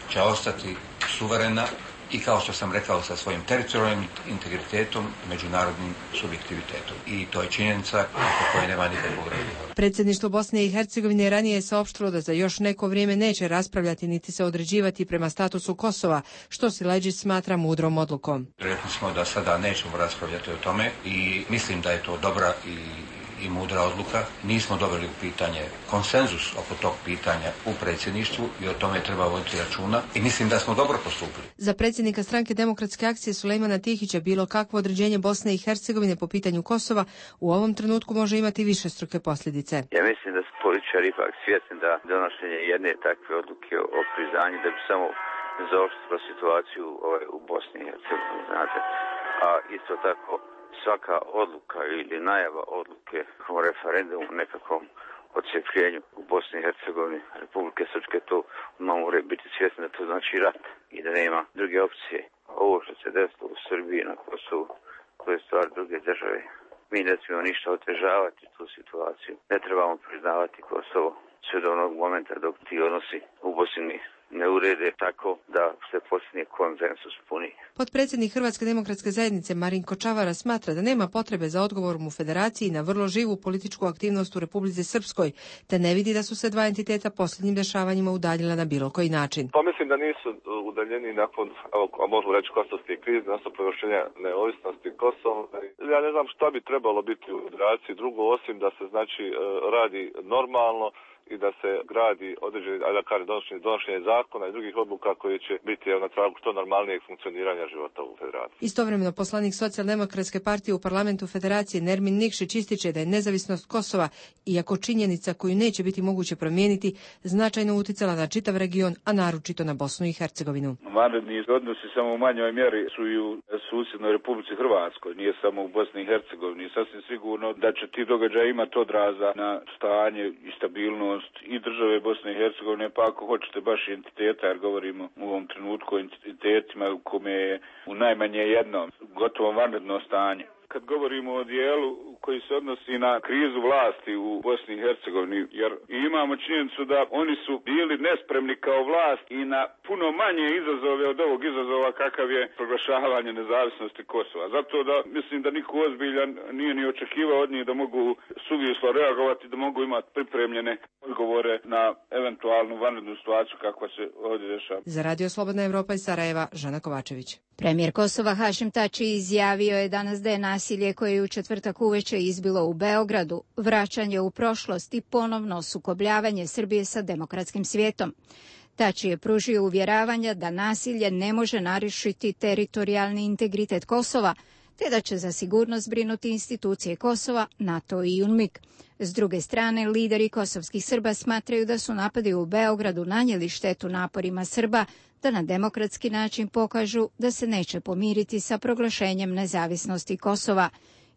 će ostati suverena i, kao što sam rekao, sa svojim teritorijalnim integritetom i međunarodnim subjektivitetom. I to je činjenica oko koje nema nikakvog razgovora. Predsjedništvo Bosne i Hercegovine ranije je saopštilo da za još neko vrijeme neće raspravljati niti se određivati prema statusu Kosova, što Silajdžić smatra mudrom odlukom. Rekli smo da sada nećemo raspravljati o tome i mislim da je to dobra i i mudra odluka. Nismo doveli u pitanje konsenzus oko tog pitanja u predsjedništvu i o tome treba voditi računa i mislim da smo dobro postupili. Za predsjednika Stranke demokratske akcije Sulejmana Tihića bilo kakvo određenje Bosne i Hercegovine po pitanju Kosova u ovom trenutku može imati višestruke posljedice. Ja mislim da su političari ipak svjesni da donošenje jedne takve odluke o priznanju da bi samo zaoštrilo situaciju ovaj, u Bosni i Hercegovini, znate. A isto tako svaka odluka ili najava odluke o referendumu nekakvom odcepljenju u Bosni i Hercegovini Republike Srpske, to moraju biti svjesni da to znači rat i da nema druge opcije. Ovo što se desilo u Srbiji na Kosovu to je stvar druge države. Mi ne smijemo ništa otežavati tu situaciju. Ne trebamo priznavati Kosovo sve do onog momenta dok ti odnosi u Bosni ne urede tako da se postigne konsensus puni. Potpredsjednik Hrvatske demokratske zajednice Marinko Čavara smatra da nema potrebe za odgovorom u Federaciji na vrlo živu političku aktivnost u Republici Srpskoj, te ne vidi da su se dva entiteta posljednjim dešavanjima udaljila na bilo koji način. Pa mislim da nisu udaljeni nakon, a možemo reći, kosovske krize, nakon proglašenja neovisnosti Kosova. Ja ne znam šta bi trebalo biti u Federaciji drugo, osim da se znači radi normalno i da se gradi određeni, da kažem, donošenje, donošenje zakona i drugih odluka koje će biti na tragu što normalnijeg funkcioniranja života u Federaciji. Istovremeno poslanik Socijaldemokratske partije u parlamentu Federacije Nermin Nikšić ističe da je nezavisnost Kosova, iako činjenica koju neće biti moguće promijeniti, značajno uticala na čitav region, a naročito na Bosnu i Hercegovinu. Vanredni odnosi samo u manjoj mjeri su i u susjednoj Republici Hrvatskoj, nije samo u Bosni i Hercegovini. Sasvim sigurno da će ti događaji imati odraza na stanje i stabilnost i države Bosne i Hercegovine, pa ako hoćete baš entiteta, jer govorimo u ovom trenutku o entitetima u kome je u najmanje jednom gotovo vanredno stanje. Kad govorimo o dijelu koji se odnosi na krizu vlasti u Bosni i Hercegovini, jer imamo činjenicu da oni su bili nespremni kao vlast i na puno manje izazove od ovog izazova kakav je proglašavanje nezavisnosti Kosova. Zato da mislim da niko ozbiljan nije ni očekivao od njih da mogu suvislo reagovati, da mogu imati pripremljene odgovore na eventualnu vanrednu situaciju kakva se ovdje dešava. Za Radio Slobodna Evropa iz Sarajeva, Žana Kovačević. Premijer Kosova Hašim Tači izjavio je danas da je nasilje koje je u četvrtak uveče izbilo u Beogradu vraćanje u prošlost i ponovno sukobljavanje Srbije sa demokratskim svijetom. Tači je pružio uvjeravanja da nasilje ne može narušiti teritorijalni integritet Kosova, te da će za sigurnost brinuti institucije Kosova, NATO i UNMIK. S druge strane, lideri kosovskih Srba smatraju da su napadi u Beogradu nanijeli štetu naporima Srba da na demokratski način pokažu da se neće pomiriti sa proglašenjem nezavisnosti Kosova.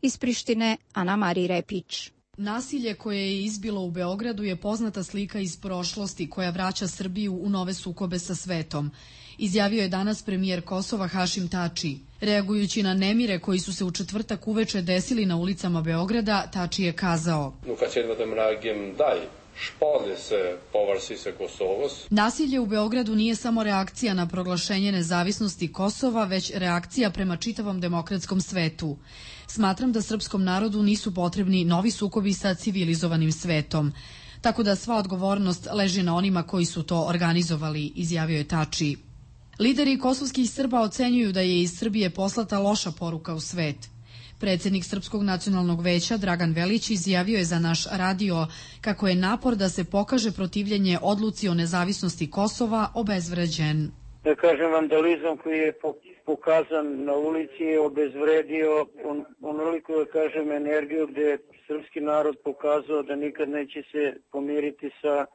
Iz Prištine, Ana Mari Repić. Nasilje koje je izbilo u Beogradu je poznata slika iz prošlosti koja vraća Srbiju u nove sukobe sa svetom, izjavio je danas premijer Kosova Hašim Tači. Reagujući na nemire koji su se u četvrtak uveče desili na ulicama Beograda, Tači je kazao: Nasilje u Beogradu nije samo reakcija na proglašenje nezavisnosti Kosova, već reakcija prema čitavom demokratskom svetu. Smatram da srpskom narodu nisu potrebni novi sukobi sa civilizovanim svetom. Tako da sva odgovornost leži na onima koji su to organizovali, izjavio je Tači. Lideri kosovskih Srba ocenjuju da je iz Srbije poslata loša poruka u svet. Predsjednik Srpskog nacionalnog veća Dragan Velić izjavio je za naš radio kako je napor da se pokaže protivljenje odluci o nezavisnosti Kosova obezvređen. Da kažem, vandalizam koji je pokazan na ulici je obezvredio on, onoliko, da kažem, energiju gdje je srpski narod pokazao da nikad neće se pomiriti sa,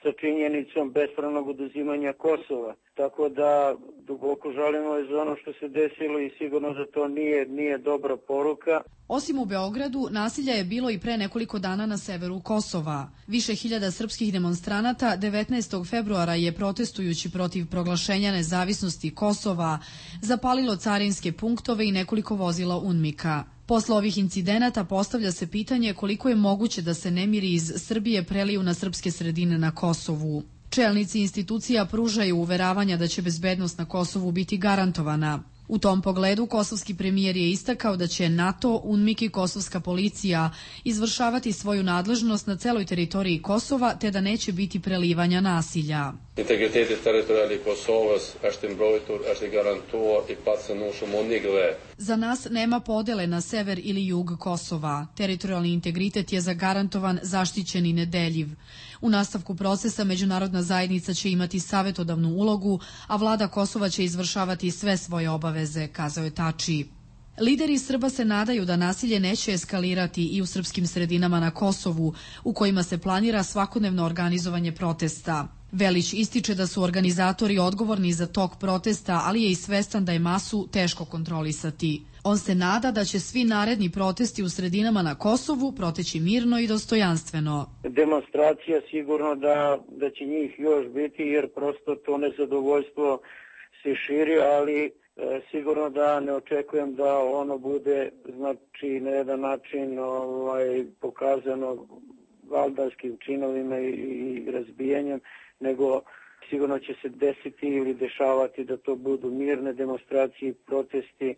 sa činjenicom bespravnog oduzimanja Kosova. Tako da duboko žalimo za ono što se desilo i sigurno da to nije, nije dobra poruka. Osim u Beogradu, nasilja je bilo i pre nekoliko dana na severu Kosova. Više hiljada srpskih demonstranata devetnaestog februara je protestujući protiv proglašenja nezavisnosti Kosova zapalilo carinske punktove i nekoliko vozila UNMIK-a. Posle ovih incidenata postavlja se pitanje koliko je moguće da se nemiri iz Srbije preliju na srpske sredine na Kosovu. Čelnici institucija pružaju uveravanja da će bezbednost na Kosovu biti garantovana. U tom pogledu kosovski premijer je istakao da će NATO, UNMIK i kosovska policija izvršavati svoju nadležnost na celoj teritoriji Kosova, te da neće biti prelivanja nasilja. Integriteti teritorijalni Kosovas është mbrojtur, është garantuar i pa se nushëm unigle. Za nas nema podele na sever ili jug Kosova. Teritorijalni integritet je zagarantovan, zaštićen i nedeljiv. U nastavku procesa međunarodna zajednica će imati savjetodavnu ulogu, a vlada Kosova će izvršavati sve svoje obaveze, kazao je Tači. Lideri Srba se nadaju da nasilje neće eskalirati i u srpskim sredinama na Kosovu, u kojima se planira svakodnevno organizovanje protesta. Velić ističe da su organizatori odgovorni za tok protesta, ali je i svestan da je masu teško kontrolisati. On se nada da će svi naredni protesti u sredinama na Kosovu proteći mirno i dostojanstveno. Demonstracija sigurno da, da će njih još biti, jer prosto to nezadovoljstvo se širi, ali sigurno da ne očekujem da ono bude, znači, na jedan način ovaj, pokazano valdarskim činovima i, i razbijanjem, nego sigurno će se desiti ili dešavati da to budu mirne demonstracije, protesti,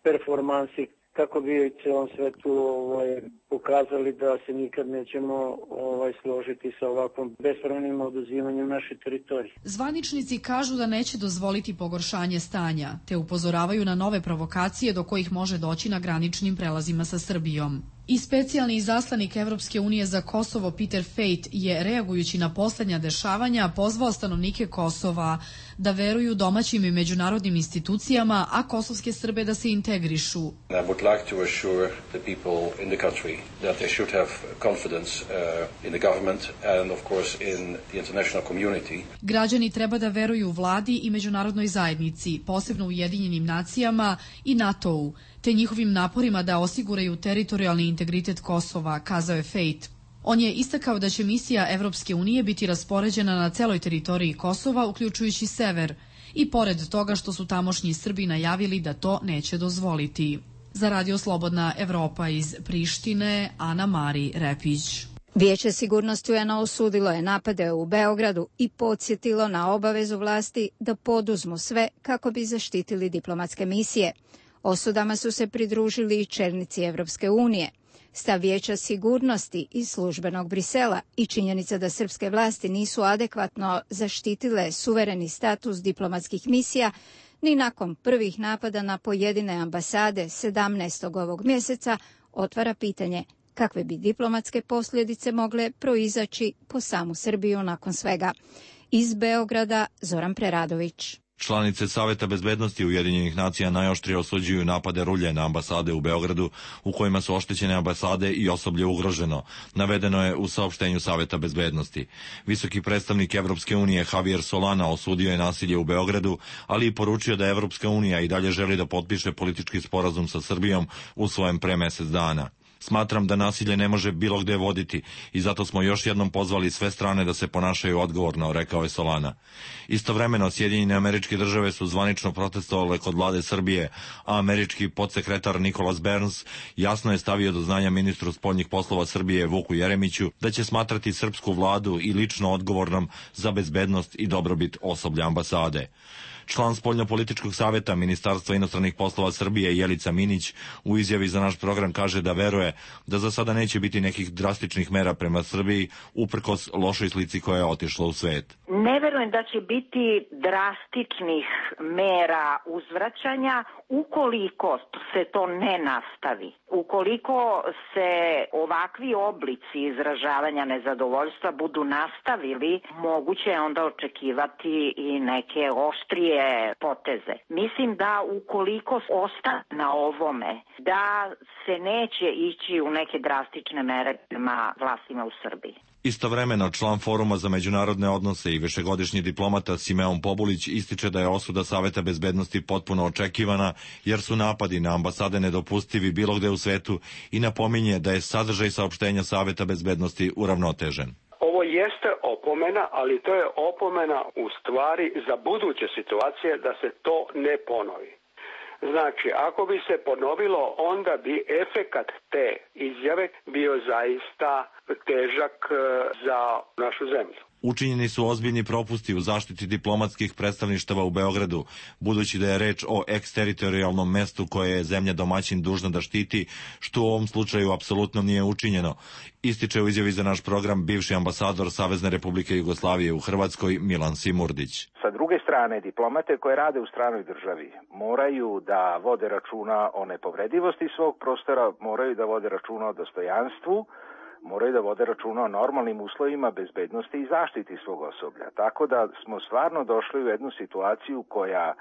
performansi, kako bi u celom svetu ovaj, pokazali da se nikad nećemo ovaj, složiti sa ovakvom bespravnim oduzimanjem naše teritorije. Zvaničnici kažu da neće dozvoliti pogoršanje stanja, te upozoravaju na nove provokacije do kojih može doći na graničnim prelazima sa Srbijom. I specijalni izaslanik Evropske unije za Kosovo Peter Fejt je, reagujući na poslednja dešavanja, pozvao stanovnike Kosova da veruju domaćim i međunarodnim institucijama, a kosovske Srbe da se integrišu. I would like to assure the people in the country that they should have confidence uh, in the government and of course in the international community. Građani treba da veruju vladi i međunarodnoj zajednici, posebno Ujedinjenim nacijama i NATO-u, te njihovim naporima da osiguraju teritorijalni integritet Kosova, kazao je Fejt. On je istakao da će misija Evropske unije biti raspoređena na celoj teritoriji Kosova, uključujući sever, i pored toga što su tamošnji Srbi najavili da to neće dozvoliti. Za Radio Slobodna Evropa iz Prištine, Ana Mari Repić. Vijeće sigurnosti U N A osudilo je napade u Beogradu i podsjetilo na obavezu vlasti da poduzmu sve kako bi zaštitili diplomatske misije. Osudama su se pridružili i čelnici Evropske unije. Stav Vijeća sigurnosti iz službenog Brisela i činjenica da srpske vlasti nisu adekvatno zaštitile suvereni status diplomatskih misija ni nakon prvih napada na pojedine ambasade sedamnaestog ovog mjeseca otvara pitanje kakve bi diplomatske posljedice mogle proizaći po samu Srbiju nakon svega. Iz Beograda Zoran Preradović. Članice Saveta bezbednosti Ujedinjenih nacija najoštrije osuđuju napade rulje na ambasade u Beogradu, u kojima su oštećene ambasade i osoblje ugroženo, navedeno je u saopštenju Saveta bezbednosti. Visoki predstavnik Evropske unije Javier Solana osudio je nasilje u Beogradu, ali i poručio da Evropska unija i dalje želi da potpiše politički sporazum sa Srbijom usvojen pre mesec dana. Smatram da nasilje ne može bilo gde voditi i zato smo još jednom pozvali sve strane da se ponašaju odgovorno, rekao je Solana. Istovremeno, Sjedinjene Američke Države su zvanično protestovale kod vlade Srbije, a američki podsekretar Nicholas Burns jasno je stavio do znanja ministru spoljnih poslova Srbije Vuku Jeremiću da će smatrati srpsku vladu i lično odgovornom za bezbednost i dobrobit osoblja ambasade. Član Spoljnopolitičkog saveta Ministarstva inostranih poslova Srbije Jelica Minić u izjavi za naš program kaže da veruje da za sada neće biti nekih drastičnih mera prema Srbiji uprkos lošoj slici koja je otišla u svet. Ne verujem da će biti drastičnih mera uzvraćanja ukoliko se to ne nastavi. Ukoliko se ovakvi oblici izražavanja nezadovoljstva budu nastavili, moguće je onda očekivati i neke oštrije poteze. Mislim da ukoliko ostane na ovome, da se neće ići u neke drastične mere prema vlastima u Srbiji. Istovremeno, član Foruma za međunarodne odnose i višegodišnji diplomata Simeon Pobulić ističe da je osuda Saveta bezbednosti potpuno očekivana, jer su napadi na ambasade nedopustivi bilo gde u svetu i napominje da je sadržaj saopštenja Saveta bezbednosti uravnotežen. Ovo jeste opomena, ali to je opomena u stvari za buduće situacije da se to ne ponovi. Znači, ako bi se ponovilo, onda bi efekat te izjave bio zaista težak za našu zemlju. Učinjeni su ozbiljni propusti u zaštiti diplomatskih predstavništava u Beogradu, budući da je reč o eksteritorijalnom mestu koje je zemlja domaćin dužna da štiti, što u ovom slučaju apsolutno nije učinjeno, ističe u izjavi za naš program bivši ambasador Savezne Republike Jugoslavije u Hrvatskoj Milan Simurdić. Sa druge strane, diplomate koje rade u stranoj državi moraju da vode računa o nepovredivosti svog prostora, moraju da vode računa o dostojanstvu, moraju da vode računa o normalnim uslovima bezbednosti i zaštiti svog osoblja. Tako da smo stvarno došli u jednu situaciju koja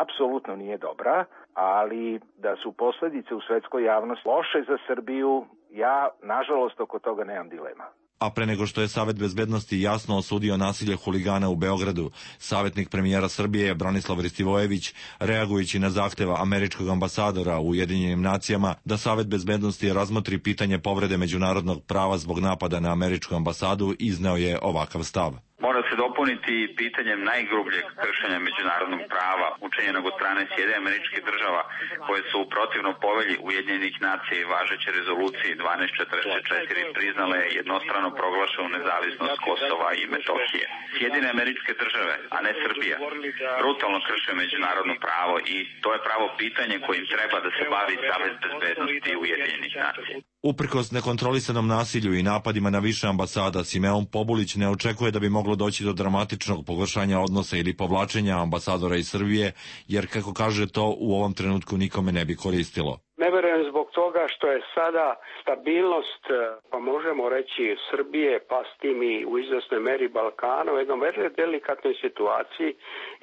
apsolutno nije dobra, ali da su posledice u svetskoj javnosti loše za Srbiju, ja nažalost oko toga nemam dilema. A pre nego što je Savet bezbednosti jasno osudio nasilje huligana u Beogradu, savjetnik premijera Srbije Branislav Ristivojević, reagujući na zahteva američkog ambasadora u Ujedinjenim nacijama da Savet bezbednosti razmotri pitanje povrede međunarodnog prava zbog napada na američku ambasadu, izneo je ovakav stav. mora se dopuniti pitanjem najgrubljeg kršenja međunarodnog prava učinjenog od strane Sjedinjenih Američkih Država, koje su u protivno povelji Ujedinjenih nacija i važeće rezoluciji dvanaest četrdeset četiri priznale jednostrano proglašenu nezavisnost Kosova i Metohije. Sjedinjene Američke Države, a ne Srbija, brutalno krše međunarodno pravo i to je pravo pitanje kojim treba da se bavi Savet bezbednosti Ujedinjenih nacija. Uprkos nekontrolisanom nasilju i napadima na više ambasada, Simeon Pobulić ne očekuje da bi moglo doći do dramatičnog pogoršanja odnosa ili povlačenja ambasadora iz Srbije, jer, kako kaže, to u ovom trenutku nikome ne bi koristilo. Ne verujem zbog toga što je sada stabilnost, pa možemo reći, Srbije, pa s tim i u izvesnoj meri Balkana, u jednom vrlo delikatnoj situaciji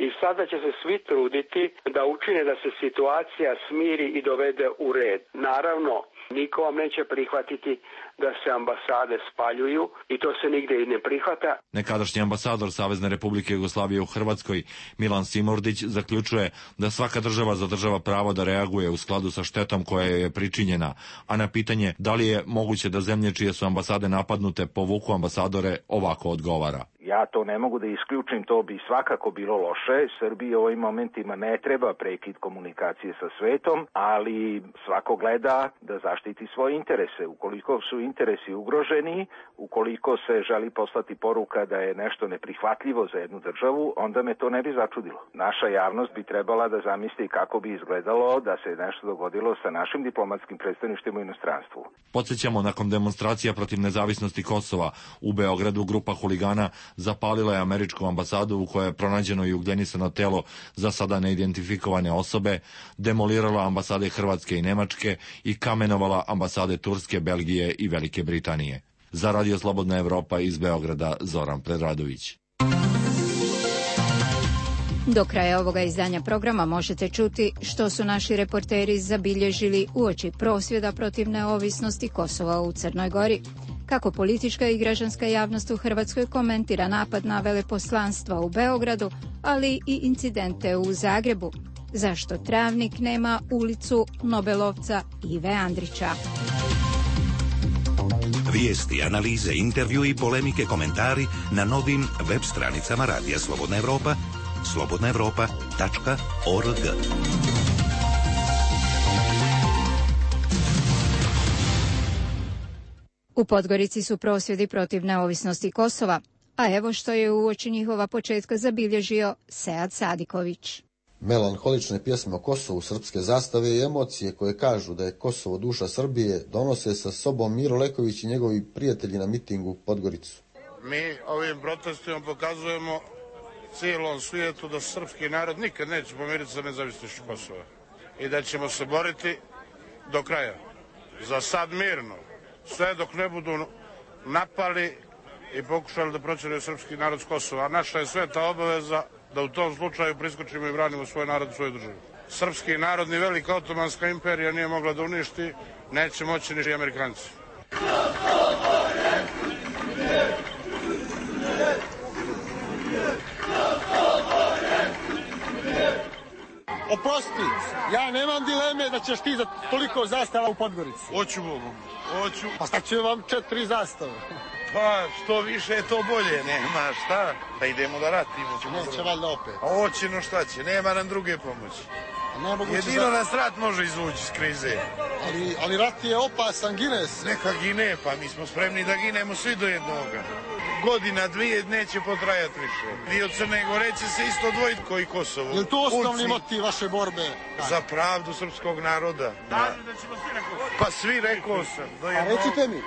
i sada će se svi truditi da učine da se situacija smiri i dovede u red. Naravno, niko vam neće prihvatiti da se ambasade spaljuju i to se nigde i ne prihvata. Nekadašnji ambasador Savezne Republike Jugoslavije u Hrvatskoj, Milan Simordić, zaključuje da svaka država zadržava pravo da reaguje u skladu sa štetom koja je pričinjena, a na pitanje da li je moguće da zemlje čije su ambasade napadnute povuku ambasadore, ovako odgovara. Ja to ne mogu da isključim, to bi svakako bilo loše. Srbiji u ovim momentima ne treba prekid komunikacije sa svetom, ali svako gleda da zaštiti svoje interese. Ukoliko su interesi ugroženi, ukoliko se želi poslati poruka da je nešto neprihvatljivo za jednu državu, onda me to ne bi začudilo. Naša javnost bi trebala da zamisli kako bi izgledalo da se nešto dogodilo sa našim diplomatskim predstavništvima u inostranstvu. Podsjećamo, nakon demonstracija protiv nezavisnosti Kosova u Beogradu, grupa huligana zapalila je američku ambasadu u kojoj je pronađeno i ugljenisano telo za sada neidentifikovane osobe, demolirala ambasade Hrvatske i Nemačke i kamenovala ambasade Turske, Belgije i Velike Britanije. Za Radio Slobodna Evropa iz Beograda, Zoran Predradović. Do kraja ovoga izdanja programa možete čuti što su naši reporteri zabilježili uoči prosvjeda protiv neovisnosti Kosova u Crnoj Gori, kako politička i građanska javnost u Hrvatskoj komentira napad na veleposlanstva u Beogradu, ali i incidente u Zagrebu, zašto Travnik nema ulicu Nobelovca Ive Andrića. Vijesti, analize, intervju i polemike, komentari na novim web stranicama Radija Slobodna Evropa, slobodna evropa tačka org. U Podgorici su prosvjedi protiv neovisnosti Kosova, a evo što je uoči njihova početka zabilježio Sead Sadiković. Melanholične pjesme o Kosovu, srpske zastave i emocije koje kažu da je Kosovo duša Srbije donose sa sobom Miro Leković i njegovi prijatelji na mitingu u Podgoricu. Mi ovim protestima pokazujemo cijelom svijetu da srpski narod nikad neće pomiriti sa nezavisnošću Kosova i da ćemo se boriti do kraja. Za sad mirno, sve dok ne budu napali i pokušali da proćeraju srpski narod s Kosova. A naša je sveta obaveza da u tom slučaju priskočimo i branimo svoj narod u svojoj državi. Srpski narod ni velika otomanska imperija nije mogla da uništi, neće moći ni Amerikanci. Oprosti, ja nemam dileme da ćeš ti za toliko zastava u Podgorici. Hoću Bogu, hoću. Pa šta će vam četiri zastave? Pa što više je to bolje, nema šta, da idemo da ratimo. Neće valjda opet. A hoće, no šta će, nema nam druge pomoći. Jedino za... nas rat može izvući iz krize. Ali, ali rat je opasan, gine se. Neka gine, pa mi smo spremni da ginemo svi do jednoga. Godina, dvije, neće potrajati više. Dio Crne Gore će se isto odvojiti koji Kosovo. Je li to osnovni motiv vaše borbe? Za pravdu srpskog naroda. Da. Pa svi rekao sam. Do A recite mi.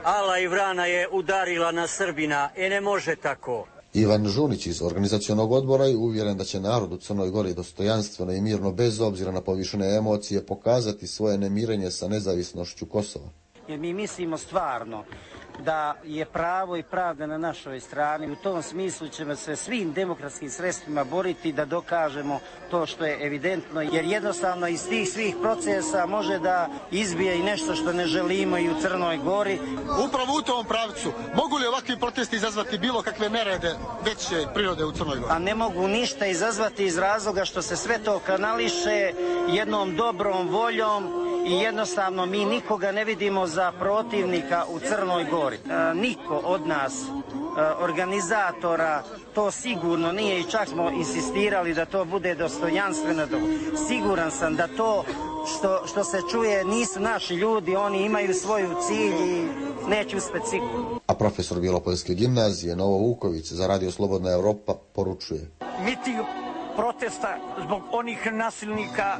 Ala i vrana je udarila na Srbina, e ne može tako. Ivan Žunić iz organizacionog odbora je uvjeren da će narod u Crnoj Gori dostojanstveno i mirno, bez obzira na povišene emocije, pokazati svoje nemirenje sa nezavisnošću Kosova. Jer mi mislimo stvarno da je pravo i pravda na našoj strani. U tom smislu ćemo se svim demokratskim sredstvima boriti da dokažemo to što je evidentno, jer jednostavno iz tih svih procesa može da izbije i nešto što ne želimo i u Crnoj Gori. Upravo u tom pravcu, mogu li ovakvi protesti izazvati bilo kakve nerede veće prirode u Crnoj Gori? A ne mogu ništa izazvati iz razloga što se sve to kanališe jednom dobrom voljom i jednostavno mi nikoga ne vidimo za protivnika u Crnoj Gori. E, niko od nas organizatora to sigurno nije i čak smo insistirali da to bude dostojanstveno. Siguran sam da to što, što se čuje nisu naši ljudi, oni imaju svoju cilj i neće uspjeti sigurno. A profesor Bijelopoljske gimnazije Novo Vuković za Radio Slobodna Evropa poručuje. Miting protesta zbog onih nasilnika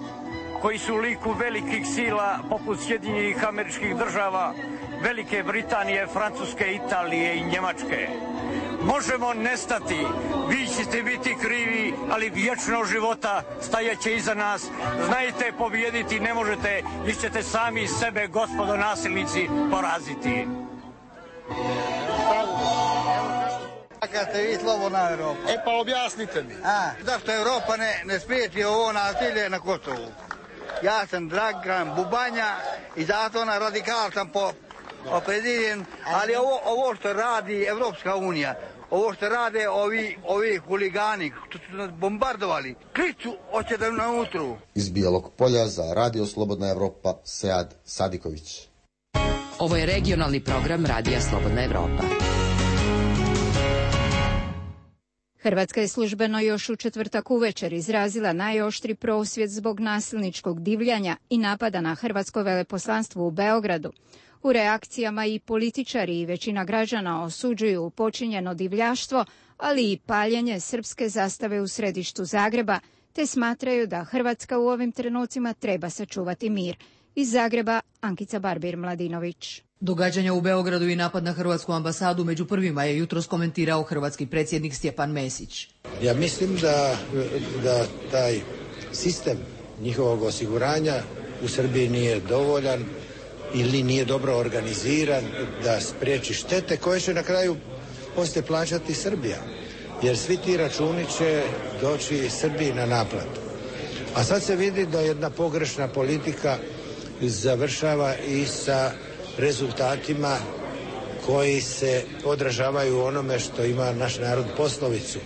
koji su u liku velikih sila poput Sjedinjenih Američkih Država, Velike Britanije, Francuske, Italije i Njemačke. Možemo nestati, vi ćete biti krivi, ali vječno života stajaće iza nas. Znajte, pobijediti ne možete, vi ćete sami sebe, gospodo nasilnici, poraziti. Kad ste vi slobodna Evropa? E pa objasnite mi. A, zašto Evropa ne, ne spriječi ovo nasilje na Kosovu? Ja sam Dragan Bubanja i zato na radikal sam po opredjeljen, ali ovo, ovo što radi Evropska unija, ovo što rade ovi, ovi huligani, što su nas bombardovali, kliču hoće da na utru. Iz Bijelog Polja za Radio Slobodna Evropa, Sead Sadiković. Ovo je regionalni program Radija Slobodna Evropa. Hrvatska je službeno još u četvrtak uvečer izrazila najoštri prosvjed zbog nasilničkog divljanja i napada na hrvatsko veleposlanstvo u Beogradu. U reakcijama i političari i većina građana osuđuju počinjeno divljaštvo, ali i paljenje srpske zastave u središtu Zagreba, te smatraju da Hrvatska u ovim trenucima treba sačuvati mir. Iz Zagreba, Ankica Barbir-Mladinović. Događanja u Beogradu i napad na hrvatsku ambasadu među prvima je jutros komentirao hrvatski predsjednik Stjepan Mesić. Ja mislim da, da taj sistem njihovog osiguranja u Srbiji nije dovoljan ili nije dobro organiziran da spriječi štete koje će na kraju poslije plaćati Srbija. Jer svi ti računi će doći Srbiji na naplatu. A sad se vidi da jedna pogrešna politika završava i sa rezultatima koji se odražavaju u onome što ima naš narod poslovicu.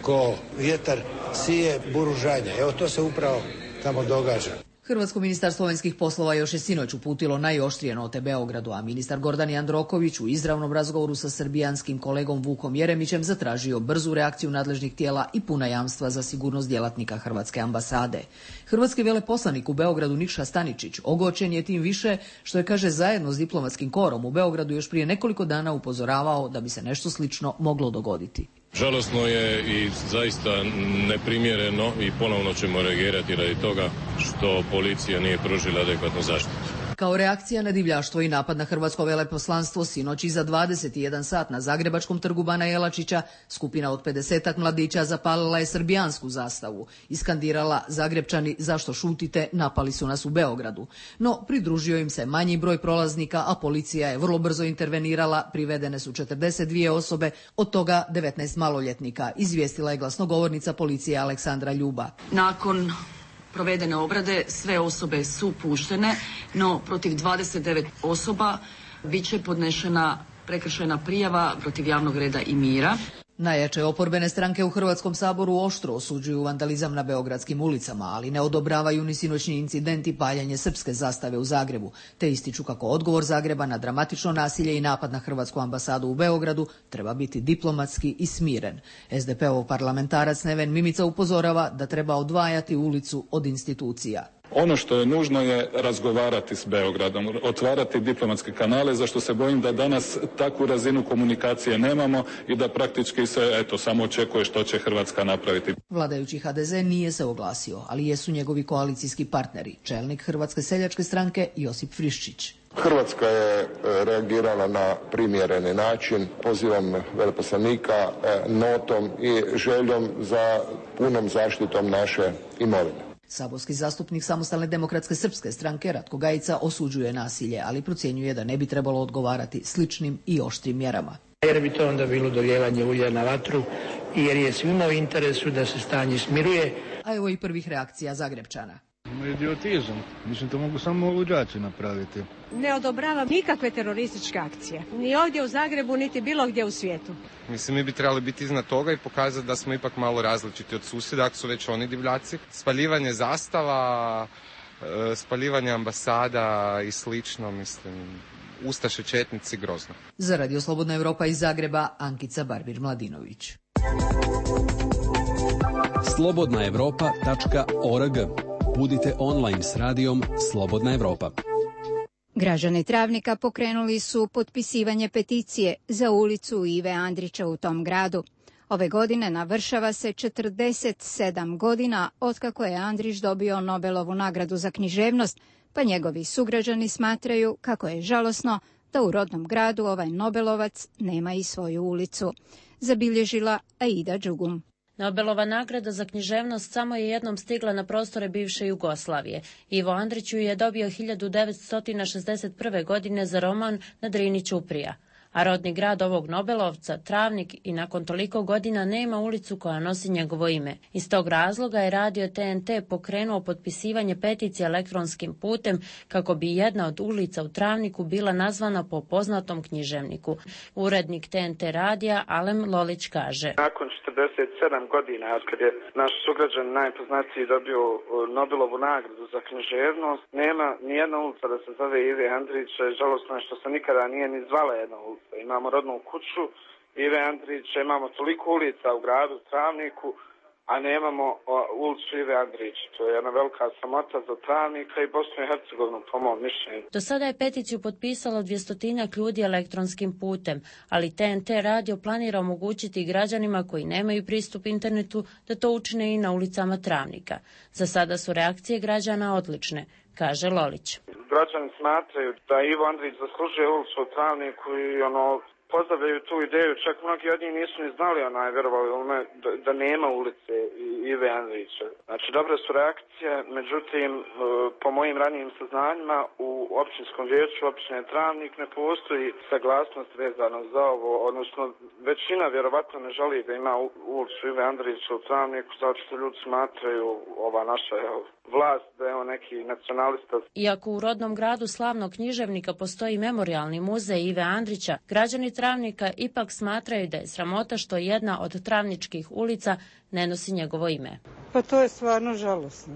Ko vjetar sije, buru žanje. Evo to se upravo tamo događa. Hrvatsko ministarstvo vanjskih poslova još je sinoć uputilo najoštrije note Beogradu, a ministar Gordan Jandroković u izravnom razgovoru sa srbijanskim kolegom Vukom Jeremićem zatražio brzu reakciju nadležnih tijela i puna jamstva za sigurnost djelatnika Hrvatske ambasade. Hrvatski veleposlanik u Beogradu Nikša Staničić ogorčen je tim više što je, kaže, zajedno s diplomatskim korom u Beogradu još prije nekoliko dana upozoravao da bi se nešto slično moglo dogoditi. Žalosno je i zaista neprimjereno i ponovno ćemo reagirati radi toga što policija nije pružila adekvatnu zaštitu. Kao reakcija na divljaštvo i napad na hrvatsko veleposlanstvo sinoć iza dvadeset jedan sat na Zagrebačkom trgu Bana Jelačića skupina od pedesetak mladića zapalila je srbijansku zastavu. Iskandirala: Zagrepčani, zašto šutite, napali su nas u Beogradu. No, pridružio im se manji broj prolaznika, a policija je vrlo brzo intervenirala. Privedene su četrdeset dvije osobe, od toga devetnaest maloljetnika, izvijestila je glasnogovornica policije Aleksandra Ljuba. Nakon provedene obrade sve osobe su puštene, no protiv dvadeset devet osoba bit će podnešena prekršajna prijava protiv javnog reda i mira. Najjače oporbene stranke u Hrvatskom saboru oštro osuđuju vandalizam na beogradskim ulicama, ali ne odobravaju ni sinoćni incident i paljenje srpske zastave u Zagrebu, te ističu kako odgovor Zagreba na dramatično nasilje i napad na hrvatsku ambasadu u Beogradu treba biti diplomatski i smiren. es de pe-ov parlamentarac Neven Mimica upozorava da treba odvajati ulicu od institucija. Ono što je nužno je razgovarati s Beogradom, otvarati diplomatske kanale, za što se bojim da danas takvu razinu komunikacije nemamo i da praktički se eto samo očekuje što će Hrvatska napraviti. Vladajući ha de ze nije se oglasio, ali jesu njegovi koalicijski partneri, čelnik Hrvatske seljačke stranke Josip Friščić. Hrvatska je reagirala na primjereni način, pozivom veleposlanika, notom i željom za punom zaštitom naše imovine. Saborski zastupnik Samostalne demokratske srpske stranke Ratko Gajica osuđuje nasilje, ali procjenjuje da ne bi trebalo odgovarati sličnim i oštrim mjerama. Jer bi to onda bilo dolijevanje ulja na vatru i jer je svima u interesu da se stanje smiruje. A evo i prvih reakcija Zagrepčana. Idiotizam. Mislim, to mogu samo luđaci napraviti. Ne odobravam nikakve terorističke akcije. Ni ovdje u Zagrebu, niti bilo gdje u svijetu. Mislim, mi bi trebali biti iznad toga i pokazati da smo ipak malo različiti od susjeda, ako su već oni divljaci. Spaljivanje zastava, spaljivanje ambasada i slično, mislim, ustaše, četnici, grozno. Za Radio Slobodna Evropa iz Zagreba, Ankica Barbir-Mladinović. slobodna evropa tačka org. Budite online s radijom Slobodna Evropa. Građani Travnika pokrenuli su potpisivanje peticije za ulicu Ive Andrića u tom gradu. Ove godine navršava se četrdeset sedam godina otkako je Andrić dobio Nobelovu nagradu za književnost, pa njegovi sugrađani smatraju kako je žalosno da u rodnom gradu ovaj Nobelovac nema i svoju ulicu. Zabilježila Aida Đugum. Nobelova nagrada za književnost samo je jednom stigla na prostore bivše Jugoslavije. Ivo Andrić ju je dobio hiljadu devetsto šezdeset prve. godine za roman Na Drini ćuprija. A rodni grad ovog Nobelovca, Travnik, i nakon toliko godina nema ulicu koja nosi njegovo ime. Iz tog razloga je radio T N T pokrenuo potpisivanje peticije elektronskim putem kako bi jedna od ulica u Travniku bila nazvana po poznatom književniku. Urednik T N T radija Alem Lolić kaže: Nakon četrdeset sedam godina, od kad je naš sugrađan najpoznatiji dobio Nobelovu nagradu za književnost, nema nijedna ulica da se zove Ive Andrića. Žalosno je što se nikada nije ni zvala jedna ulica. Imamo rodnu kuću Ive Andrića, imamo toliko ulica u gradu Travniku, a nemamo ulicu Ive Andrića. To je jedna velika sramota za Travnika i Bosnu i Hercegovinu, po mom mišljenju. Do sada je peticiju potpisalo dvjestotinjak ljudi elektronskim putem, ali T N T radio planira omogućiti građanima koji nemaju pristup internetu da to učine i na ulicama Travnika. Za sada su reakcije građana odlične, kaže Lolić. Građani smatraju da Ivo Andrić zaslužuje ulicu u Travniku i ono, pozdravljaju tu ideju, čak mnogi od njih nisu ni znali, onaj, verovali ne, da, da nema ulice Ive Andrića. Znači, dobre su reakcije, međutim, po mojim ranijim saznanjima, u općinskom vijeću općine Travnik ne postoji saglasnost vezano za ovo, odnosno većina vjerovatno ne želi da ima ulicu Ive Andrića u Travniku, zato što ljudi smatraju ova naša vlast da je on neki nacionalista. Iako u rodnom gradu slavnog književnika postoji memorijalni muzej Ive Andrića, građani Travnika ipak smatraju da je sramota što jedna od travničkih ulica ne nosi njegovo ime. Pa to je stvarno žalosno.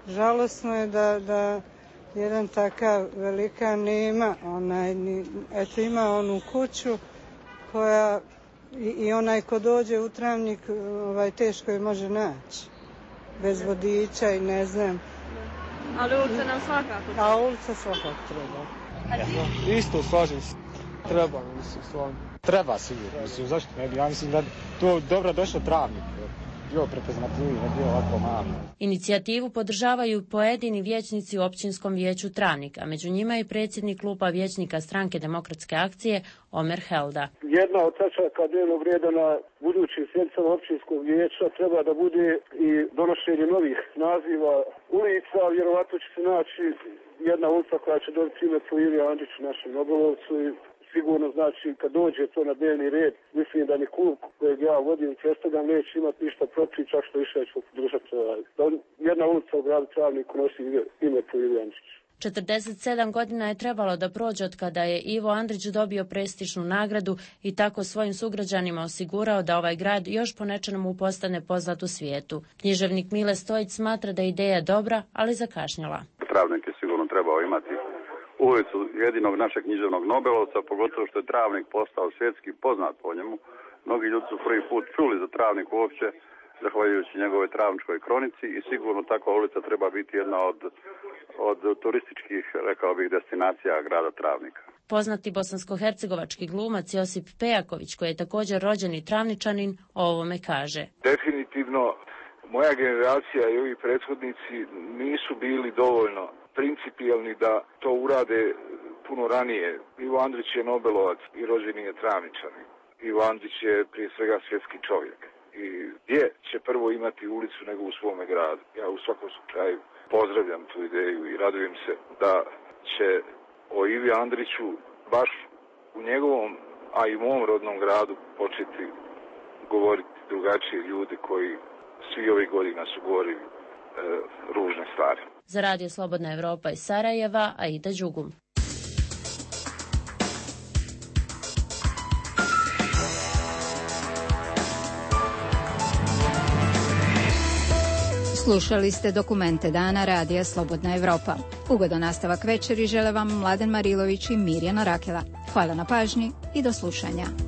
Žalosno je da, da jedan takav velikan nema, onaj, eto ima onu kuću koja i, i onaj ko dođe u Travnik ovaj, teško je može naći. Bez vodiča i ne znam. Ali ulica nam svakako treba. A ulica svakako treba. Ja, isto slažem se. Treba, mislim, stvarno. Treba sigurno, mislim, zašto ne bi? Ja mislim da to dobro došlo Travnik. Bio prepoznatljivi, ne bio ovako malo. Inicijativu podržavaju pojedini vijećnici u općinskom vijeću Travnik, a među njima je predsjednik kluba vijećnika Stranke demokratske akcije Omer Helda. Jedna od tačaka dnevnog reda na budućim sjednicama općinskog vijeća treba da bude i donošenje novih naziva ulica. Vjerovatno će se naći jedna ulica koja će dobiti ime po Ivi Andriću, našem Nobelovcu, i sigurno znači kad dođe to na dnevni red, mislim da ni klub kojeg ja vodim predstavljam neće imati ništa protiv, čak što više ću podržati. Jedna ulica u gradu Travniku nosi ime po Ivi Andriću. četrdeset sedam godina je trebalo da prođe od kada je Ivo Andrić dobio prestižnu nagradu i tako svojim sugrađanima osigurao da ovaj grad još po nečemu postane poznat u svijetu. Književnik Mile Stojić smatra da je ideja dobra, ali zakašnjela. Travnik je sigurno trebao imati ulicu jedinog našeg književnog Nobelovca, pogotovo što je Travnik postao svjetski poznat po njemu. Mnogi ljudi su prvi put čuli za Travnik uopće, zahvaljujući njegovoj travničkoj kronici, i sigurno takva ulica treba biti jedna od, od turističkih, rekao bih, destinacija grada Travnika. Poznati bosansko-hercegovački glumac Josip Pejaković, koji je također rođeni Travničanin, o ovome kaže. Definitivno, moja generacija i ovi prethodnici nisu bili dovoljno principijelni da to urade puno ranije. Ivo Andrić je Nobelovac i rođeni je Travničanin. Ivo Andrić je prije svega svjetski čovjek. I gdje će prvo imati ulicu nego u svome gradu? Ja u svakom slučaju pozdravljam tu ideju i radujem se da će o Ivi Andriću baš u njegovom, a i u mom rodnom gradu početi govoriti drugačiji ljudi koji svi ovih godina su govorili e, ružne stvari. Za Radio Slobodna Evropa iz Sarajeva, Aida Đugum. Slušali ste Dokumente dana Radija Slobodna Evropa. Ugodan nastavak večeri žele vam Mladen Marilović i Mirjana Rakela. Hvala na pažnji i do slušanja.